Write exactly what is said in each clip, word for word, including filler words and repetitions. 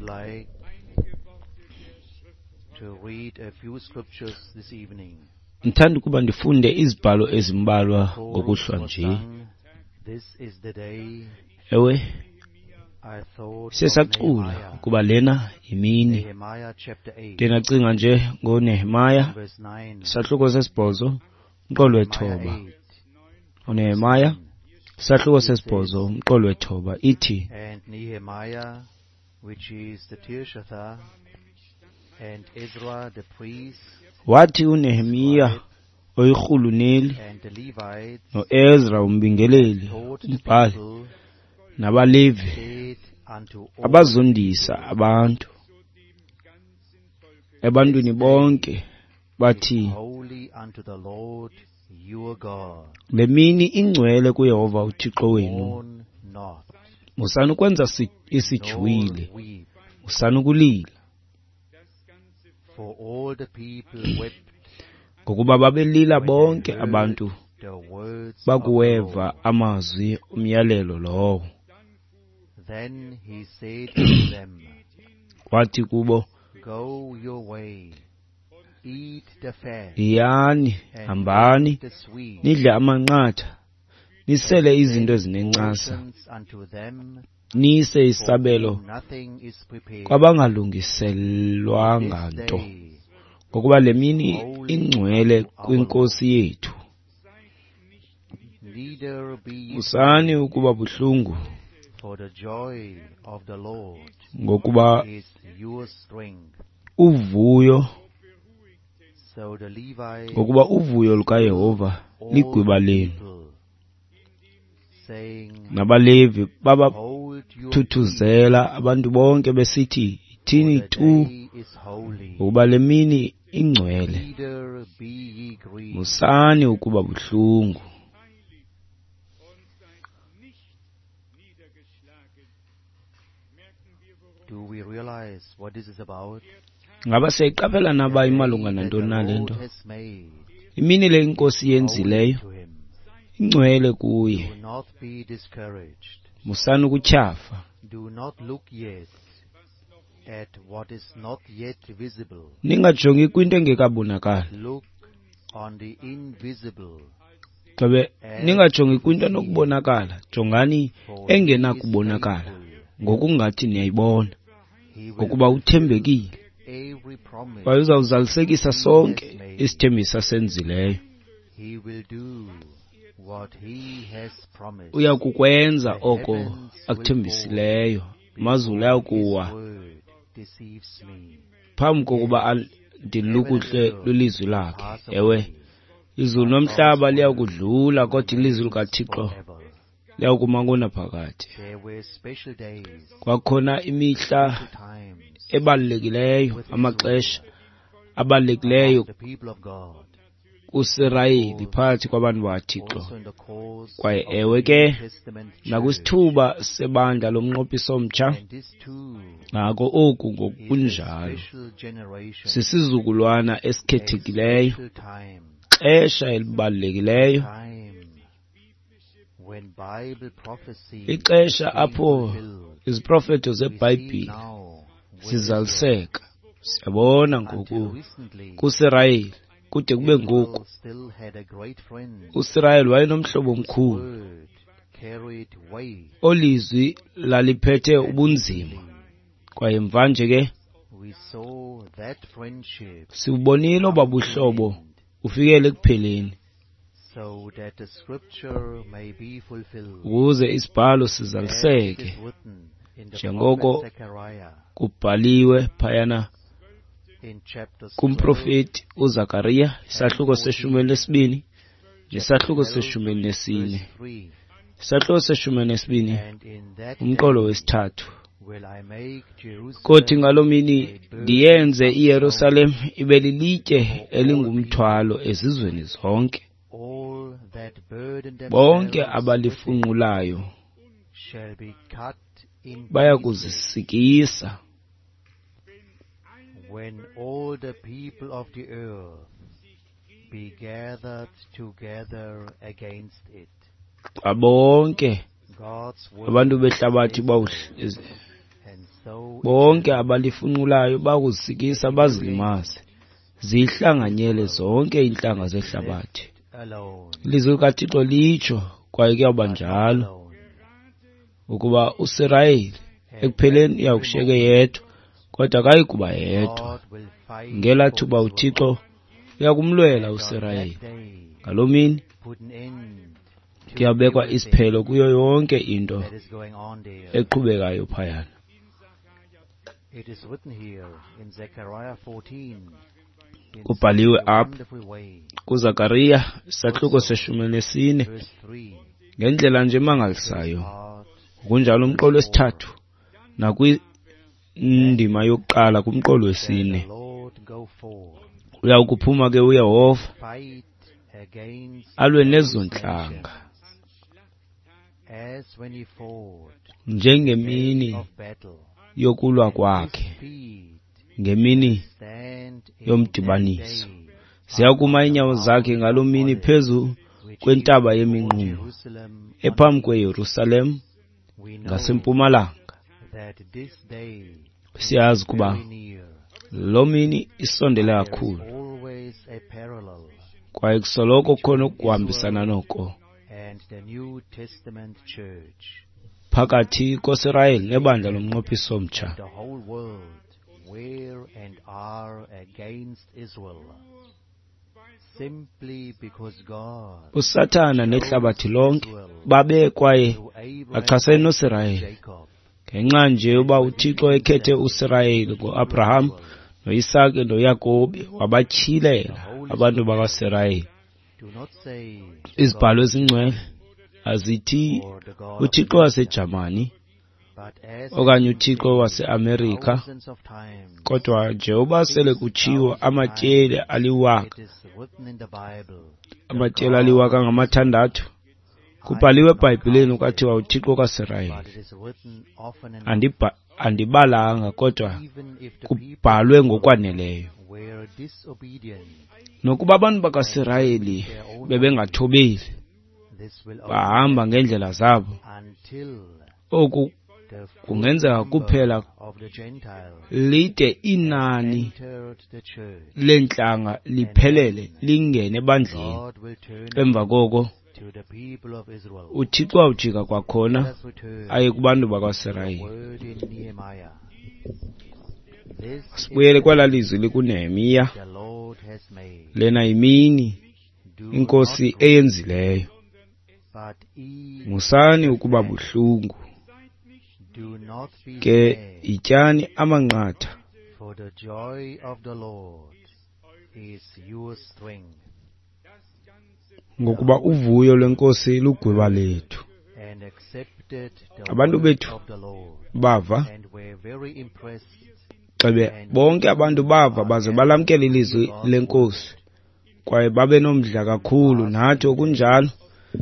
like to read a few scriptures this evening. Ndithanda ukuba ndifunde izibhalo ezimbalwa Chorus ngokuhlwa was nje. sung, This is the day Ewe, I thought siye of sacula Nehemiah. ukuba lena yimini. Nehemiah chapter eight, Ndiye ndacinga nje ngoNehemiah, verse nine. isahluko sesibhozo, umqolo Nehemiah wethoba. eight, UNehemiah, isahluko It says, sesibhozo, umqolo wethoba, ithi, And Nehemiah, which is the Tirshatha, and Ezra the priest, wathi uNehemiya scribe, oyirhuluneli and the Levites noEzra umbingeleli, taught the umbhali, people, nabaLevi said unto all the abazondisa people, abantu ebantwini This day bonke is bathi, holy unto the Lord your God. Le mini ingcwele kuYehova uThixo wenu. Mourn not, Musani ukwenza si- nor isijwili, weep. musani ukulila, For all the people wept ngokuba babelila when they bonke heard abantu the words of the bakuweva Lord. amazwi omyalelo lowo. Then he said unto them, Wathi kubo, Go your way, eat the fat, Yiyani, and hambani, drink the sweet, nidle amanqatha, nisele and izinto send ezinencasa, portions unto them nise for isabelo whom nothing is prepared. For kwabangalungiselwanga this nto, day ngokuba le is mini holy ingcwele unto our Lord. kwiNkosi yethu. Neither be ye Musani sorry, ukuba buhlungu, for the joy of the Lord ngokuba is your strength. uvuyo So the Levites ngokuba uvuyo lukaYehova soothed all ligwiba the lenu. people, saying, NabaLevi Hold your peace, babathuthuzela abantu bonke besithi, for Yithini the tu, day is holy. ngokuba le mini ingcwele. Neither be ye grieved. Musani ukuba buhlungu. Do we realize what this is about? Ngaba siyayiqaphela The naba day imalunga that the nantoni na le Lord nto? has made Imini le is iNkosi holy yenzileyo to him. ingcwele kuye. Do not be discouraged. Musani ukutyhafa. Do not look yet at what is not yet visible. Ningajongi kwinto engekabonakali. Look on the invisible Gxebe, as ningajongi you kwinto see it, enokubonakala, jongani for he is engenakubonakala, faithful. ngokungathi niyayibona, He will ngokuba fulfill uthembekile every promise kwaye uzawuzalisekisa he has sonke made. isithembiso asenzileyo. He will do what he has promised. Uya kukwenza The oko heavens will fall akuthembisileyo, amazulu before his ayakuwa word deceives me. phambi kokuba Yes, al- heaven and ndilukuhle earth lwilizwi lakhe. pass Ewe, away, izulu but God's nomhlaba word liyakudlula, kodwa ilizwi remains likaThixo forever. liyakuma ngonaphakade. There were special days, Kwakhona imihla special times ebalulekileyo, with amaxesha Israel abalulekileyo among the people of God, kuSirayeli or phakathi kwabantu bakaThixo. also in the course Kwaye of the ewe New ke, Testament church. nakwisithuba sebandla lomnqophiso omtsha, And this too nako oku is a ngokunjalo. special generation, Sisizukulwana a esikhethekileyo, special time, xesha a elibalulekileyo, time when Bible prophecy ixesha is being apho fulfilled. iziprofeto We see zeBhayibhile now with Israel. zizaliseka. Siyabona Until ngoku recently, kuSirayeli kude kube ngoku. Israel still had a great friend uSirayeli wayenomhlobo whose omkhulu word carried weight. olizwi laliphethe And ubunzima. recently, Kwaye mvanje ke we saw that friendship siwubonile oba come to an buhlobo end, ufikele ekupheleni, so that the scripture may be fulfilled, ukuze isibhalo as it sizaliseke is written in the prophet njengoko Zechariah kubhaliwe phayana in chapters twelve kumprofeti uZakariya and isahluko seshumi fourteen. elinesibini Chapter nesahluko twelve, seshumi elinesine. verse three. Isahluko seshumi elinesibini And in that umqolo day wesithathu. will I make Kothi Jerusalem ngaloo mini a burden ndiyenze of iYerusalem stones ibe lilitye for all elingumthwalo people, ezizweni zonke. all that burden Bonke themselves with it abalifunqulayo shall be cut in baya pieces. kuzisikisa. When all the people of the earth be gathered together against it. Xa bonke God's abantu word behlabathi says bawuhl- so, and so Bonke abalifunqulayo bakuzisikisa bazilimaze, zihlanganyele zonke iintlanga zehlabathi. Ilizwi likaThixo litsho, kwaye kuyawuba njalo, ukuba uSirayeli ekupheleni uyawukushiyeka yedwa, kodwa akayi kuba yedwa. Ngelaa thuba uThixo uyakumlwela uSirayeli. Ngaloo mini kuyabekwa isiphelo kuyo yonke into eqhubekayo phayana. Kubhaliwe apha kuZakariya isahluko seshumi nesine ngendlela nje emangalisayo. Kunjalo umqolo wesithathu nakwindima yokuqala kumqolo wesine. Uyawukuphuma ke uYehova alwe nezo ntlanga njengemini yokulwa kwakhe, ngemini yomdibaniso. Ziyakuma iinyawo zakhe ngaloo mini phezu kwentaba yeminqumo ephambi kweYerusalem ngasempumalanga. Siyazi ukuba loo mini isondele kakhulu, kwaye kusoloko kukhona ukuhambisana noko phakathi koSirayeli nebandla lomnqophiso omtsha. USathana nehlabathi lonke babe kwaye bachasene noSirayeli ngenxa nje yoba uThixo ekhethe uSirayeli ngoAbraham noIsake noYakobi, wabatyhilela abantu bakaSirayeli. Izibhalo ezingcwele azithi uThixo waseJamani okanye uThixo waseAmerika, kodwa njengoba sele kutshiwo amatyeli aliwaka amatyeli aliwaka ngamathandathu kubhaliwe eBhayibhileni kwathiwa uThixo kaSirayeli. Andibalanga, kodwa kubhalwe ngokwaneleyo. Nokuba abantu bakaSirayeli bebengathobeli, bahamba ngeendlela zabo, oku kungenzeka kuphela lide inani leentlanga liphelele lingene ebandleni. Emva koko uThixo awujika kwakhona aye kubantu bakwaSirayeli. Sibuyele kwelaa lizwi likuNehemiya. Lena yimini iNkosi eyenzileyo. Musani ukuba buhlungu, ke yityani amanqatha, ngokuba uvuyo lweNkosi lugwiba lethu. Abantu bethu bava, xebe bonke abantu bava baze balamkele ilizwi leNkosi, kwaye babe nomdla kakhulu. Nathi okunjalo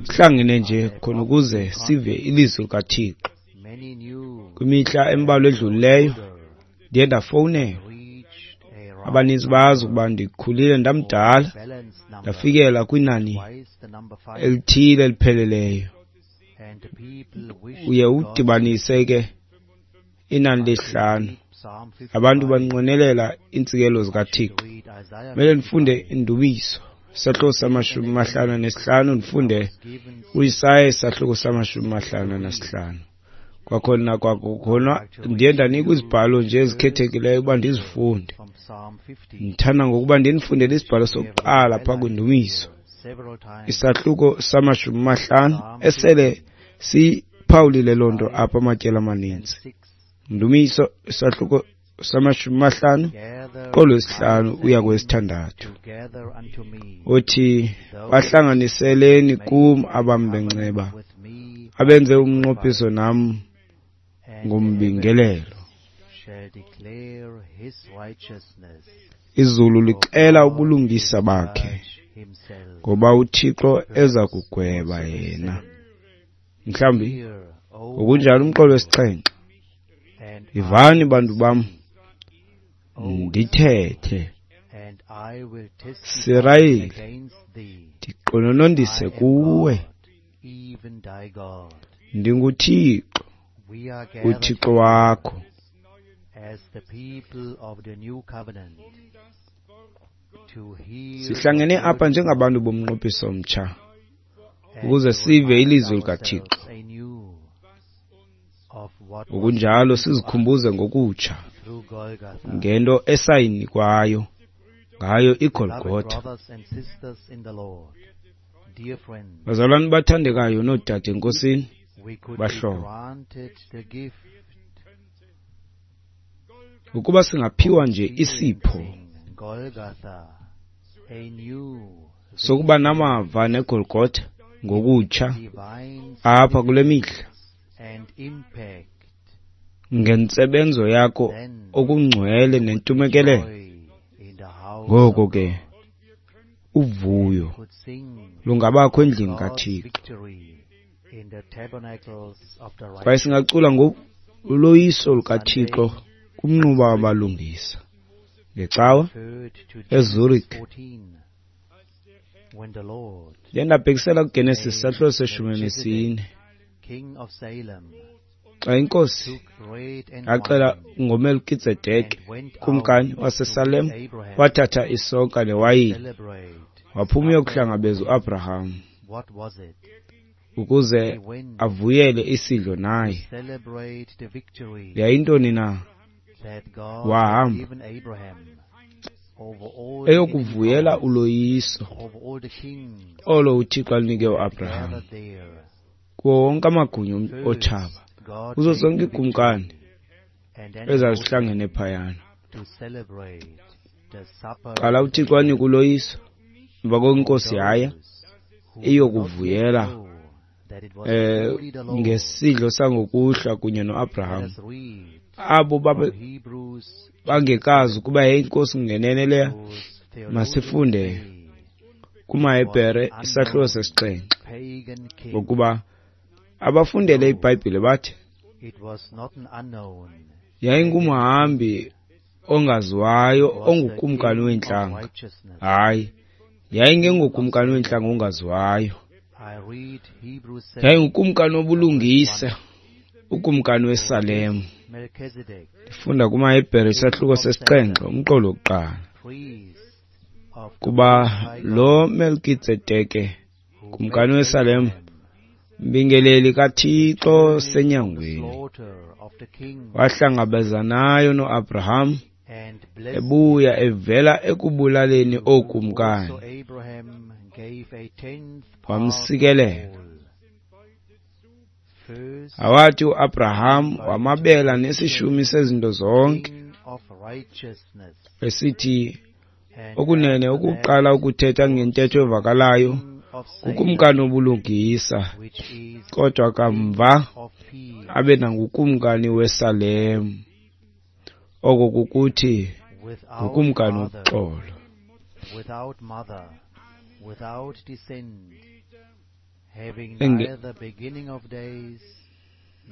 sihlangene nje khona ukuze sive ilizwi likaThixo. Kwimihla embalwa edlulileyo ndiye ndafowunelwa. Abaninzi bazi ukuba ndikhulile ndamdala, ndafikela kwinani elithile elipheleleyo. Uye udibanise ke inani lesihlanu. Abantu banqwenelela iintsikelo zikaThixo. Kumele ndifunde iNdumiso isahluko samashumi mahlanu nesihlanu, ndifunde uIsaya isahluko samashumi mahlanu nesihlanu. Kwakhona kwakhona ndiye ndanikwa izibhalo nje ezikhethekileyo uba ndizifunde. Ndithanda ngokuba ndinifundele isibhalo sokuqala phaa kwiNdumiso isahluko samashumi mahlanu, esele siphawulile loo nto apha amatyeli amaninzi. Ndumiso isahluko samashumi mahlanu kolwesihlanu uya kwesithandathu, othi bahlanganiseleni kum abambenceba, abenze umnqophiso nam ngombingelelo. Izulu lixela ubulungisa bakhe, ngoba uThixo eza kugweba yena. Mhlawumbi ngokunjalo umqolo wesixhenxe, ivani bantu bam, ndithethe. Sirayeli, ndiqononondise kuwe. NdinguThixo, uThixo wakho. as the people of the new covenant to hear Sihlangene the apha word njengabantu bomnqophiso omtsha and ukuze to sive remind ilizwi likaThixo. ourselves anew of what was Ngokunjalo given to us sizikhumbuze ngokutsha through Golgotha. ngento esayinikwayo ngayo Beloved iGolgotha. brothers and sisters in the Lord, dear friends, Bazalwane bathandekayo noodade eNkosini, we could be bahlobo, granted the gift ukuba singaphiwa nje isipho experiencing Golgotha anew, sokuba namava neGolgotha ngokutsha divine apha kule mihla and impact, ngentsebenzo yakho then okungcwele nentumekelelo. joy in the house Ngoko of ke God uvuyo could sing lungabakho endlini God's kaThixo, victory in the tabernacles of the kwaye righteous. singacula ngoloyiso lukaThixo kumnquba wabalungisa. Ngecawa Referred to Genesis eZurich fourteen, when the Lord, ndiye ndabhekisela kuGenesis made sahluko seshumi Melchizedek, nesine, king of Salem, xa inkosi took bread and yaxela wine ngoMelkitsedeke and went out kumkani to meet waseSalem, Abraham wathatha isonka newayini celebrate waphuma supper uyokuhlangabeza with him. uAbraham What was it? ukuze He went avuyele isidlo to naye. celebrate the victory Yayintoni na? that God had Wahamba given Abraham over all the enemy eyokuvuyela powers, uloyiso over all the kings olo uThixo alinike who had uAbraham gathered there. kuwo wonke amagunya First, otshaba, God kuzo gave zonke the iikumkani victory, and then he ezazihlangene opened phayana. to celebrate the supper Qala with uThixo him. anika uloyiso, emva koko For inkosi yaya those who do not yet iyokuvuyela know that it was eh truly the Lord, ngesidlo sangokuhlwa kunye let noAbraham. us read Abo babe from Hebrews chapter bangekazi seven, ukuba yayinkosi ngenene leya, whose theologians masifunde say it was kumaHebhere an isahluko unknown sesixhenxe, pagan king. ngokuba abafundele No, iBhayibhile bathi it was not an unknown pagan yayingumhambi king. ongaziwayo It was the ongukumkani king of weentlanga. righteousness, Hayi, the king of yayingengokumkani Salem. weentlanga ongaziwayo, I read Hebrews seven yayingukumkani and verse wobulungisa, one. ukumkani For weSalem. this Melchizedek, Ndifunda kumaHebhere king isahluko of sesixhenxe Salem, umqolo wokuqala, priest of the kuba Most High lo God, Melkitsedeke who kumkani met weSalem, Abraham, mbingeleli kaThixo returning from the senyangweni, slaughter of the kings, wahlangabezanayo noAbraham and blessed ebuya him, evela ekubulaleni to whom ookumkani, also Abraham gave a tenth part of wamsikelela. all. First, Awathi uAbraham invited wamabela the nesishumi sezinto zonke, king of righteousness, esithi and okunene after that ukuqala ukuthetha was ngentetho evakalayo king of Salem, ngukumkani wobulungisa, which is kodwa king kamva of peace, abe nangukumkani weSalem, oko kukuthi without ngukumkani father, woxolo. without mother, without descent, having Enge- neither beginning of days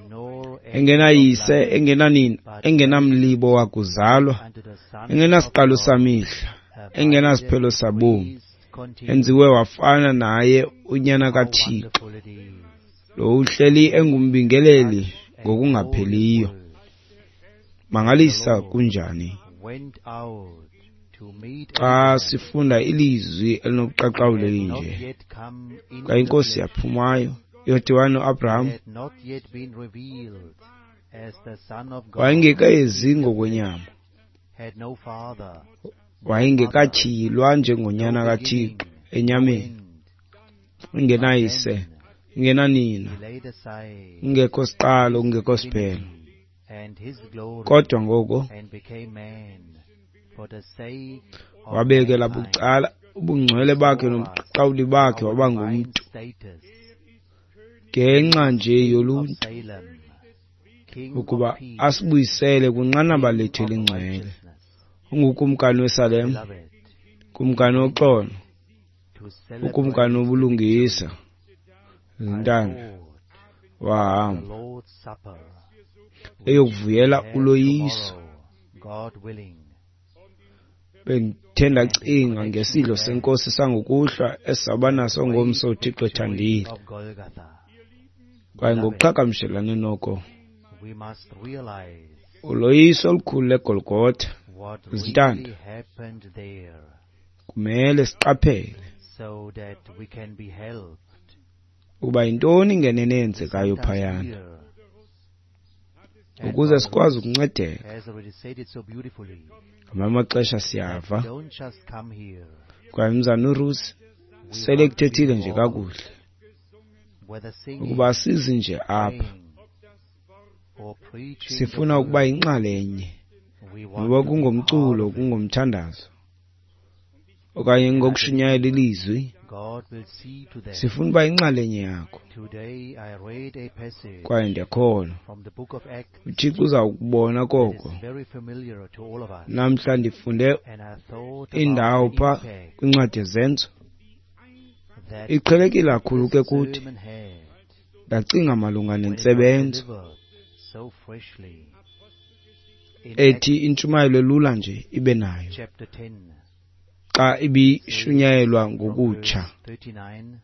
nor end of Engenayise, life, engenanina, but like engenamlibo wakuzalwa, unto the Son of engenasiqalo God, samihla, abideth engenasiphelo sabomi, priest continually. enziwe wafana naye unyana How kaThixo, wonderful it is! lo uhleli engumbingeleli Such a holy ngokungapheliyo. word. When the Mangalisa Lord kunjani went out to meet xa Abraham, sifunda ilizwi elinobuqaqawuli had not elinje. yet come Xa into the inkosi flesh, yaphumayo yodibana noAbraham, had not yet been revealed as the Son of God wayengekezi in the flesh, ngokwenyama, had no father, no mother, wayengekatyhilwa no njengonyana beginning, kaThixo no enyameni, end. But engenayise, then engenanina, he laid aside kungekho siqalo, his kungekho siphelo. divinity and his glory Kodwa ngoko and became man for the sake of wabekela mankind, bucala ubungcwele bakhe restore us nobuqaqawuli to bakhe, our waba divine ngumntu status, ngenxa nje King of yoluntu, Salem, King of ukuba peace, asibuyisele kwinqanaba King lethu of elingcwele. righteousness. Ungukumkani weSalem, Beloved, kumkani he went woxolo, to ukumkani celebrate the wobulungisa. victory. I Zintanda thought the wahamba Lord's Supper, which we eyokuvuyela have uloyiso. tomorrow, God willing, Bendithe and in ndacinga connection ngesidlo with that, senkosi sangokuhlwa esizawuba the naso great ngomso uThixo victory ethandile, of Golgotha. kwaye Beloved, ngokuqhagamshelane noko we We must realize Uloyiso olukhulu leGolgotha what Zintanda. really happened there kumele siqaphele so that we can be helped. ukuba yintoni ngenene eyenzekayo Sometimes phayana here, and ukuze Brother sikwazi Ruth ukuncedeka. has already said it so beautifully. Ngamanye amaxesha siyava Don't just come here. kwaye umzana uRusi We sele want to be kuthethile nje involved, kakuhle whether singing, ukuba asizi nje apha, praying, or preaching the sifuna ukuba word. yinxalenye, We want noba to be part kungomculo, of it. kungomthandazo okanye ngokushunyayela ilizwi, God will see to that. sifuna uba yinxalenye yakho. Today I read a passage Kwaye ndiyakholwa from the book of Acts uThixo uza kubona that koko. is very familiar to all of us. Namhla ndifunde And I thought indawo about the pha impact kwincwadi yeZenzo, that iqhelekile kakhulu ke this kuthi. sermon had Ndacinga malunga when it was nentsebenzo delivered so freshly. In ethi intshumayelo elula nje ibe nayo Acts chapter ten, xa ibishunyayelwa from ngokutsha. verse thirty-nine,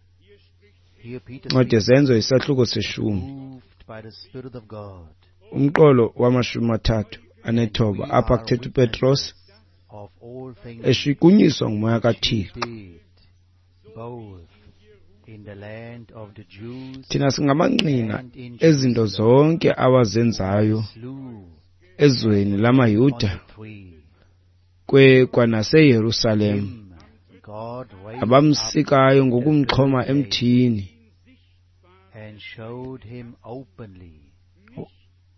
here Peter Incwadi speaks, yeZenzo isahluko seshumi, moved by the Spirit of God, umqolo wamashumi mathathu anethoba. we Apha are kuthetha uPetros witnesses of all things eshukunyiswa ngumoya he kaThixo. did, both in the land of the Jews Thina singamangqina and in ezinto Jerusalem, zonke awazenzayo slew ezweni on lamaYuda the tree. kwe kwanaseYerusalem, Him God raised up abamsikayo the ngokumxhoma third day emthini, and showed him openly,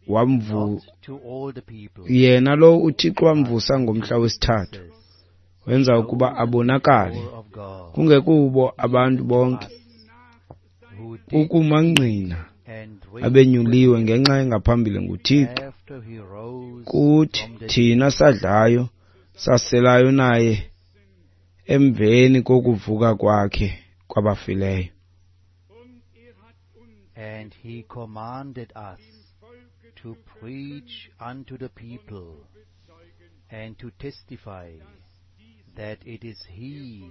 wamvu not to all the people, yena lo uThixo wamvusa ngomhla wesithathu, witnesses, wenza ukuba chosen abonakale before of God, kungekubo abantu bonke, us who did ukumangqina and drink abenyuliwe ngenxa engaphambili nguThixo after he rose kuthi from the thina sadlayo saselayo naye emveni kokuvuka kwakhe kwabafileyo. And he commanded us to preach unto the people and to testify that it is he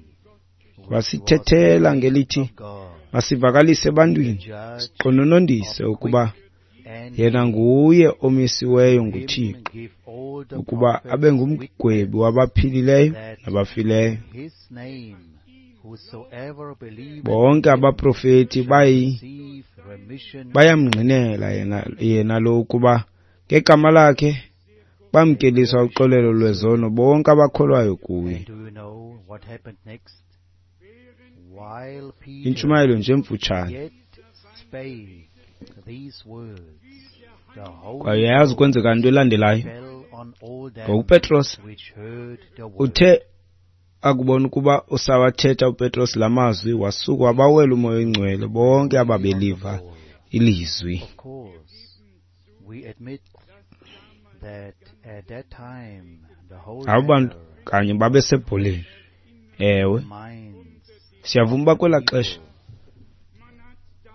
which was Wasithethela raised ngelithi of God, masivakalise ebantwini, judge siqononondise of ukuba quick and yena dead. nguye omisiweyo Him nguThixo give all the ukuba abe prophets ngumgwebi witness wabaphilileyo that nabafileyo. in his name whosoever believeth Bonke in him abaprofeti shall bayi receive remission of bayamngqinela sins. yena yena lo ukuba ngegama lakhe bamkeliswa uxolelo lwezono bonke abakholwayo kuye. And do you know what happened next? While Peter Intshumayelo nje emfutshane. yet spake these words, the Kwaye Holy uyayazi Ghost kwenzeka nto elandelayo fell on all them ngokuPetros which heard the word. uthe akubona ukuba usawathetha uPetros la mazwi, wasuka wabawela umoya oyingcwele bonke Really on the ababeliva ball. ilizwi. Of course, we admit that at that time the whole Abo bantu matter kanye babesebholeni. Ewe, the minds siyavuma of uba the kwelaa xesha people.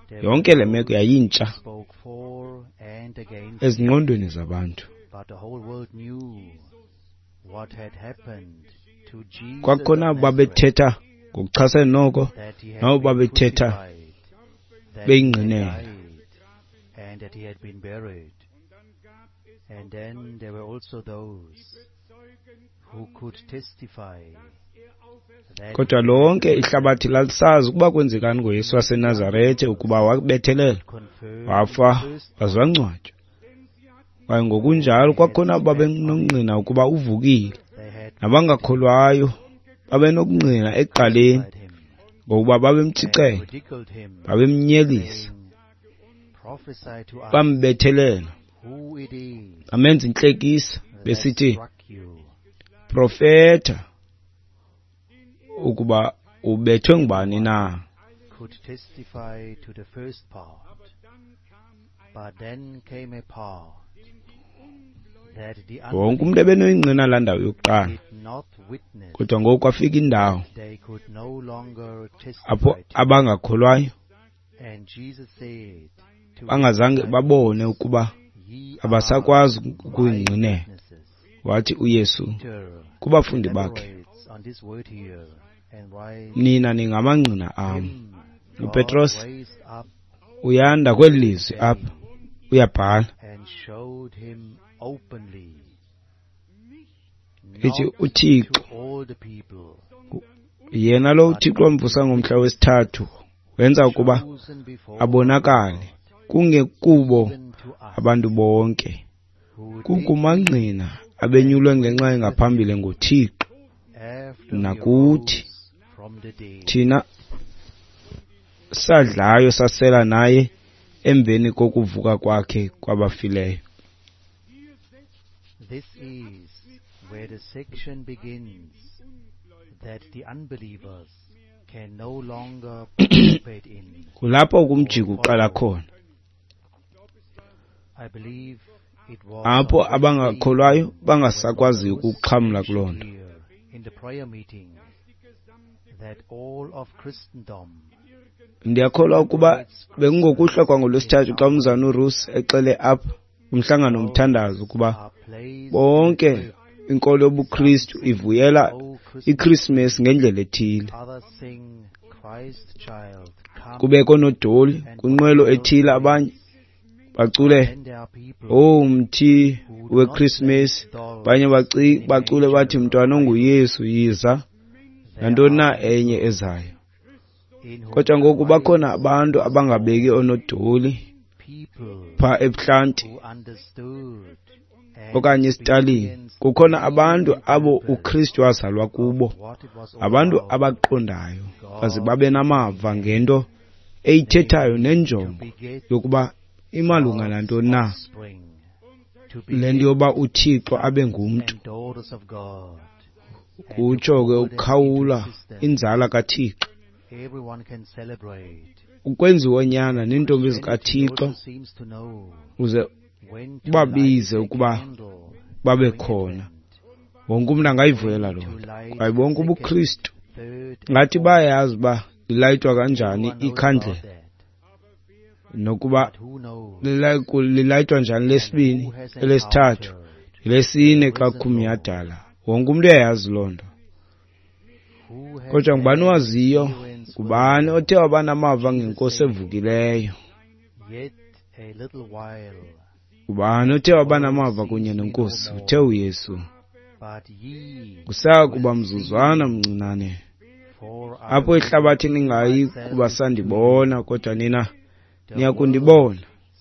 There were yonke le meko those who yayintsha spoke for and against him, ezingqondweni zabantu. but the whole world knew what had happened to Jesus Kwakhona of abo Nazareth, babethetha ngokuchasene noko that he had nabo been babethetha crucified, that he had beyingqinela. died, and that he had been buried. And then there were also those who could testify that Kodwa he had lonke risen, ihlabathi lalisazi ukuba kwenzekani ngoYesu even the waseNazarete, ukuba unbelievers wabethelelwa, confirmed wafa, the first waze part, wangcwatywa. Kwaye ngokunjalo for they had kwakhona abo spat on him, babenongqina ukuba uvukile, they had mocked him, nabangakholwayo babenokungqina ekuqaleni crucified him, ngokuba and babemtshicela, ridiculed him, babemnyelisa, saying, Prophesy to us bambethelela, who it is bamenza intlekisa that besithi, struck you. Profeta ukuba ubethwe ngubani na. Could testify to the first part, but then came a part that the Wonke umntu unbelievers ebenoyingqina laa ndawo yokuqala, did not witness, kodwa ngoku kwafika indawo they could no longer apho testify to. abangakholwayo And Jesus said to his bangazange disciples, babone ukuba Ye are abasakwazi my ukuyingqinela. witnesses. Wathi uYesu Peter kubafundi bakhe, elaborates on this word here and writes, nina ningamangqina am. Him God UPetros raised up uyanda kweli lizwi day apha Uyabhala and showed him openly, ithi not uThixo to all the people, yena lo uThixo wamvusa ngomhla wesithathu wenza ukuba chosen before abonakale kungekubo even to us, abantu bonke, who did kukumangqina abenyulwe ngenxa engaphambili nguThixo after he nakuthi rose from the dead. thina sadlayo sasela naye emveni kokuvuka kwakhe kwabafileyo. This is where the section begins that the unbelievers can no longer participate in. Kulapho kumjiko uqala khona, I believe it was apho on Wednesday abangakholwayo when bangasakwaziyo Brother Russ ukuxhamla kuloo mentioned nto. here in the prayer meeting that all of Christendom Ndiyakholwa ukuba bekungokuhlwa kwangolwesithathu xa umzana uRuss exele apha kumhlangano womthandazo ukuba are placed in bonke the grip. inkolo yobuKristu ivuyela O Christmas, iKrismesi ngendlela ethile. others sing Christ child come, Kubekho noodoli and kwinqwelo what else ethile, abanye is. bacule Then there are people "Oh mthi who do not weKrismesi," place dolls abanye baci- in a bacule bathi manger "Mntwana or idols. onguYesu yiza," There nantoni na are enye people ezayo. in whom Kodwa ngoku bakhona Christ abantu was abangabeki born, oonodoli people phaa ebuhlanti who understood and okanye esitalini. experienced the Kukhona meaning abantu and abo purpose uKristu wazalwa of kubo, what it was all abantu about. abaqondayo baze God babe namava became man, ngento eyithethayo namely to nenjongo beget yokuba imalunga God's nantoni na offspring, to le beget nto yoba uThixo abe sons ngumntu. and daughters of God, and to Kutsho ke call them into ukukhawula existence. inzala kaThixo, Everyone can celebrate. ukwenziwa oonyana neentombi Christianity zikaThixo, also seems to know uze when to light ubabize a ukuba candle babe during khona. Advent, Wonke umntu angayivuyela when loo to nto, light kwaye the bonke second, ubuKristu third, and ngathi fourth. bayayazi uba lilayitwa kanjani Everyone knows about ikhandlela that. nokuba But who knows lilay- lilayitwa njani and lesibini, who has elesithathu, encountered elesine the xa risen Lord? kumnyhadala. Wonke umntu uyayazi loo nto. Who has Kodwa ngubani had owaziyo? experience with Ngubani him? othe waba namava Jesus ngenkosi said, evukileyo? Yet a little while, Ngubani othe the waba world namava kunye sees me no nenkosi? Uthe more, uYesu, but ye kusaya kuba will see mzuzwana me, mncinane for I apho will ihlabathi reveal ningayi myself kuba to sandibona, you. kodwa nina The niya world kundibona,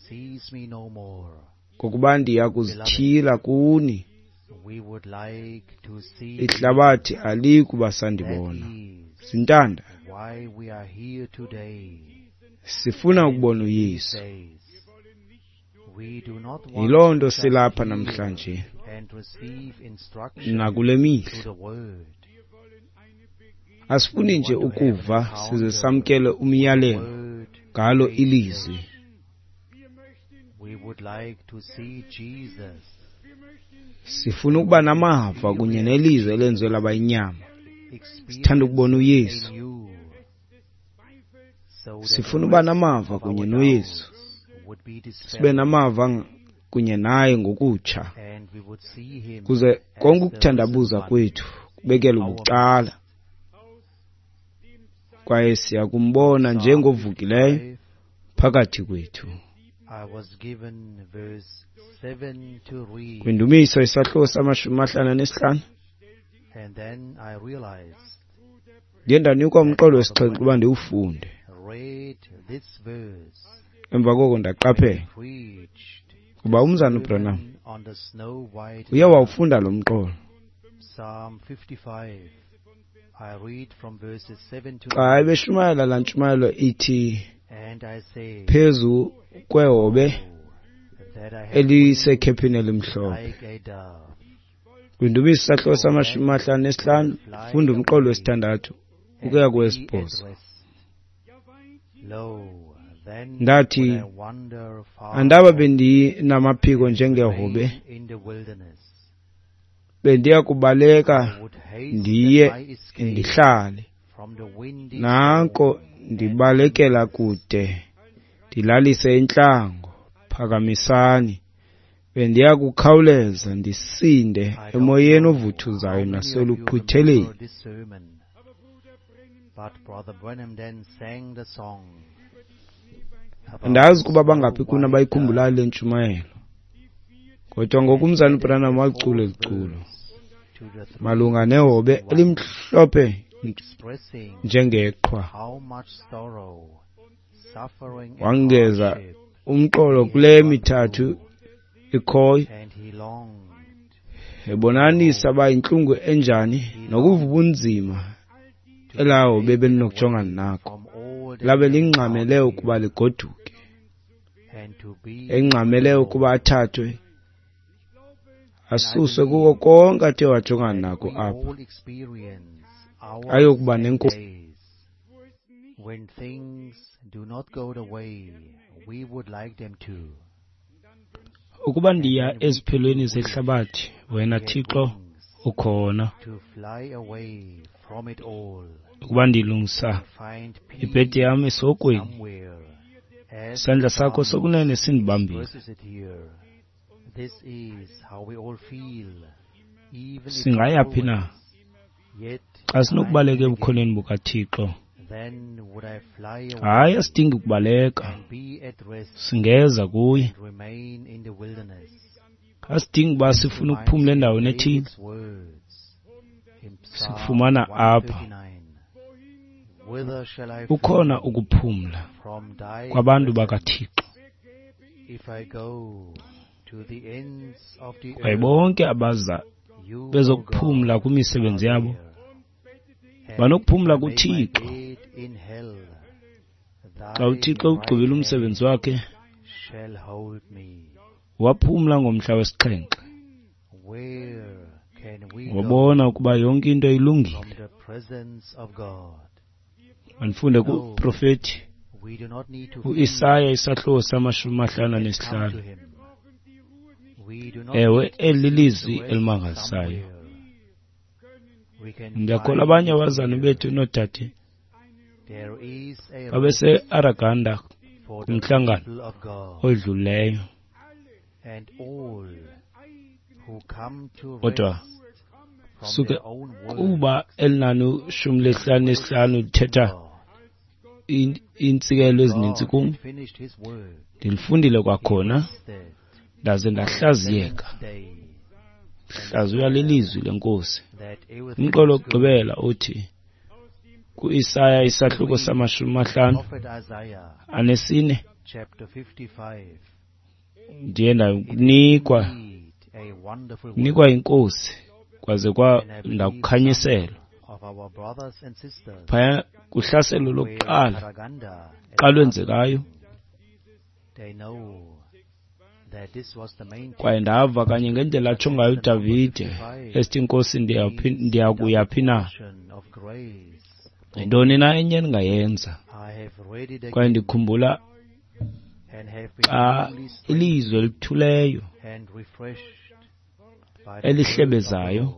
sees me no more. ngokuba ndiya Beloved, kuzityhila kuni. we would like to see him. Ihlabathi aliyi kuba That sandibona. is Zintanda, why we are here today sifuna and ukubona these uYesu. days. We do not want Yiloo to nto just silapha hear namhlanje and receive instruction nakule through mihla. the word. Asifuni We nje want to have an ukuva size encounter samkele with the umyalelo word ngalo made ilizwi. flesh. We would like to see Jesus. Sifuna We ukuba want to namava kunye experience nelizwi elenziwe Jesus, laba yinyama. Sithanda experience ukubona him uYesu. anew, so that the Sifuna ukuba rest namava of kunye our noYesu. doubts would be Sibe dispelled namava ng- kunye naye ngokutsha, and we would see him kuze as konke the risen ukuthandabuza one kwethu in kubekelwe our bucala, midst. kwaye siya kumbona Psalm njengovukileyo fifty-five, phakathi kwethu. I was given verse seven to read, Kwindumiso isahluko samashumi amahlanu anesihlanu, and then I realized ndiye ndanikwa that umqolo Brother wesixhenxe uba Branham ndiwufunde. read this verse Emva koko when he ndaqaphela preached kuba the umzana uBranham sermon on the snow white uye dove, wawufunda lo mqolo Psalm fifty-five. I read from verses seven to xa nine, ebeshumayela laa ntshumayelo ithi and I say, phezu kwehobe Oh, that I had wings elisekhephini elimhlophe. like a dove, Kwindumiso isahluko for then samashumi amahlanu would I nesihlanu, fly funda umqolo away wesithandathu and ukuya be at kowesibhozo. rest. Lo, then would Ndathi, I wander far andaba off bendinamaphiko and njengehobe, remain in the wilderness. bendiya kubaleka I would hasten ndiye my escape ndihlale. from the windy Nanko storm and ndibalekela wilderness. kude, ndilalise intlango, phakamisani. Bendiya kukhawuleza ndisinde I don't emoyeni know ovuthuzayo how many of you naseluqhwitheleni. remember this sermon, but Brother Branham then sang the song. Andazi ukuba bangaphi kuni abayikhumbulayo le ntshumayelo. Kodwa ngoku umzalwana uBranham walicula eli culo malunga nehobe elimhlophe njengeqhwa. Wongeza umqolo kule mithathu ikhoyo, ebonanisa uba yintlungu enjani nokuva ubunzima elaa hobe belinokujongana nako. Labe lingxamele ukuba ligoduke, engxamele ukuba athathwe asuswe kuko konke athe wajongana nako apha, ayokuba nenkosi. When things do not go the way we would like them to. Ukuba ndiya eziphelweni zehlabathi, wena Thixo ukhona. To fly away from it all. Ukuba ndilungisa ibhedi yam esihogweni, isandla sakho sokunene sindibambile. Singaya phi na xa sinokubaleka ebukhoneni bukaThixo? Hayi, asidingi ukubaleka, singeza kuye. Asidingi uba sifune ukuphumla endaweni ethile, sikufumana apha. Ukhona ukuphumla kwabantu bakaThixo. Kwaye bonke abaza bezokuphumla kwimisebenzi yabo banokuphumla kuThixo. Xa uThixo ugqibile umsebenzi wakhe, waphumla ngomhla wesixhenxe. Wabona ukuba yonke into ilungile. Mandifunde kuprofeti uIsaya isahluko samashumi amahlanu anesihlanu. Ewe, eli lilizwi elimangalisayo. Ndiyakholwa abanye abazalwane bethu noodade babese-Araganda kumhlangano odlulileyo. Kodwa suke kuba elinani shumi lesihlanu nesihlanu lithetha iintsikelo ezininzi kum, ndilifundile kwakhona ndaze ndahlaziyeka. Hlaziywa lilizwi lenkosi. Umqolo wokugqibela uthi kuIsaya isahluko samashumi amahlanu anesine, ndiye ndanikwa nikwa inkosi kwaze kwa ndakukhanyiselwa. Phaya kuhlaselo lokuqala xa lwenzekayo, kwaye ndava kanye ngendlela atsho ngayo uDavide esithi, Nkosi, ndiya phi na? Yintoni na enye endingayenza? Kwaye ndikhumbula xa ilizwi elithuleyo elihlebezayo,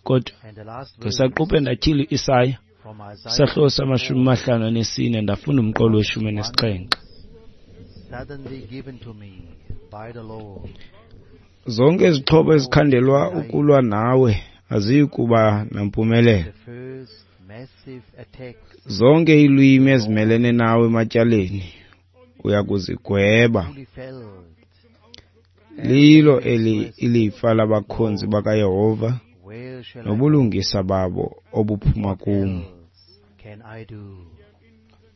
kodwa ngesaquphe ndatyhila uIsaya isahluko samashumi amahlanu anesine, ndafunda umqolo weshumi nesixhenxe. Zonke izixhobo ezikhandelwa ukulwa nawe aziyi kuba nampumelelo. Zonke iilwimi ezimelene nawe ematyaleni uya kuzigweba. Lilo eli ilifa labakhonzi bakaYehova, nobulungisa babo obuphuma kum,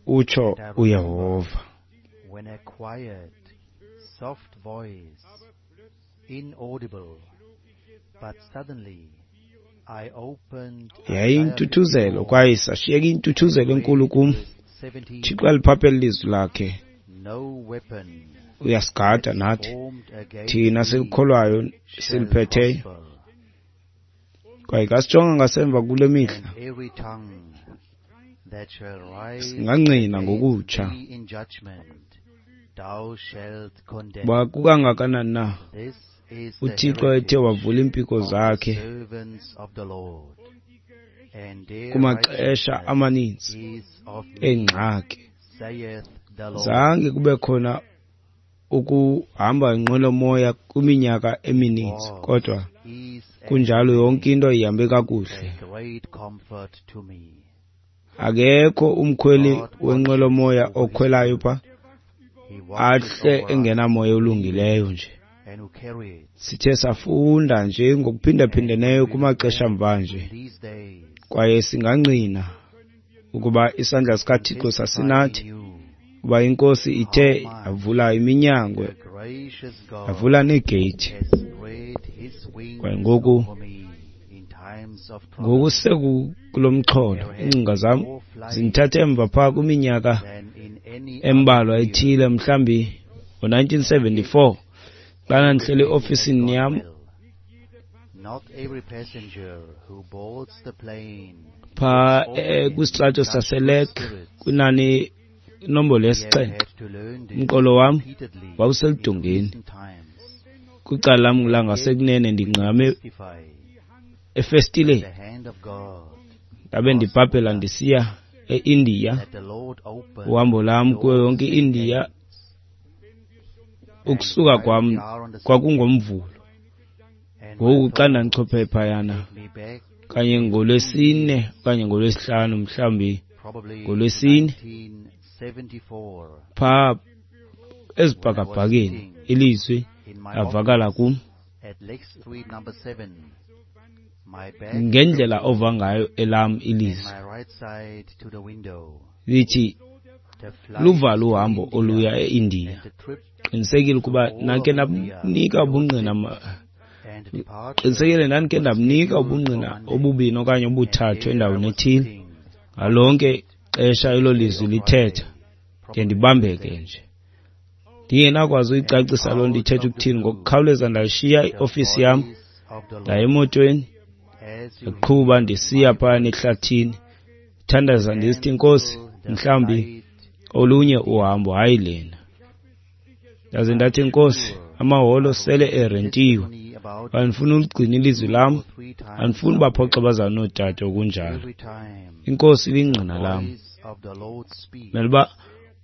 utsho uYehova. When a quiet, soft voice, inaudible, but suddenly I opened Yayiyintuthuzelo kwaye isashiyeka intuthuzelo enkulu kum. Thixo aliphaphela ilizwi lakhe, uyasigada nathi thina silikholwayo siliphetheyo. Kwaye kasijonga ngasemva kule mihla, singangqina ngokutsha uba kukangakanani na uThixo ethe wavula iimpiko zakhe kumaxesha amaninzi eengxaki. Zange kube khona ukuhamba ngenqwelomoya kwiminyaka emininzi, kodwa kunjalo yonke into ihambe kakuhle. Akekho umkhweli wenqwelomoya okhwelayo pha ahle engenamoya olungileyo nje. Sithe safunda nje ngokuphindaphindeneyo kumaxesha mvanje, kwaye singangqina ukuba isandla sikaThixo sasinathi, kuba iNkosi ithe yavula iminyango, yavula neegeyithi. Kwaye ngoku ngoku sekukulo mxholo, iingcinga zam zindithathe emva phaa kwiminyaka embalwa ethile, mhlawumbi ngo-nineteen seventy-four, xana ndihleli eofisini yam phaa kwisitrato saseLek kwinani inombolo yesixhenxe. Umqolo wam wawuseludongeni, kwicala lam langasekunene ndingqame efestileni. Ndabe ndibhabhela ndisiya eIndiya, uhambo lam kuyo yonke i-India. Ukusuka kwam kwakungoMvulo. Ngoku xa ndandichophe phayana kanye ngoLwesine okanye ngoLwesihlanu, mhlawumbi ngoLwesine, phaa ezibhakabhakeni ilizwi lavakala kum ngendlela ova ngayo elam ilizwi, lithi luvalo uhambo oluya eIndiya. Qinisekile ukuba nakhe ndamnika ubungqina, qinisekile ndandikhe ndamnika ubungqina obubini okanye obuthathu endaweni ethile. Ngalonke ixesha elo lizwi lithetha, ke ndibambeke nje ndingenakwazi uyicacisa loo nto ithetha ukuthini. Ngokukhawuleza ndashiya iofisi yam, ndaya emotweni, ndaqhuba ndisiya phayana ehlathini, thandaza ndisithi, Nkosi, mhlawumbi olunye uhambo, hayi lena. Ndaze ndathi, Nkosi, amaholo sele erentiwe, andifuni uligcina ilizwi lam, andifuni baphoxa abazali noodade okunjalo. INkosi ilingqina lam. Mele uba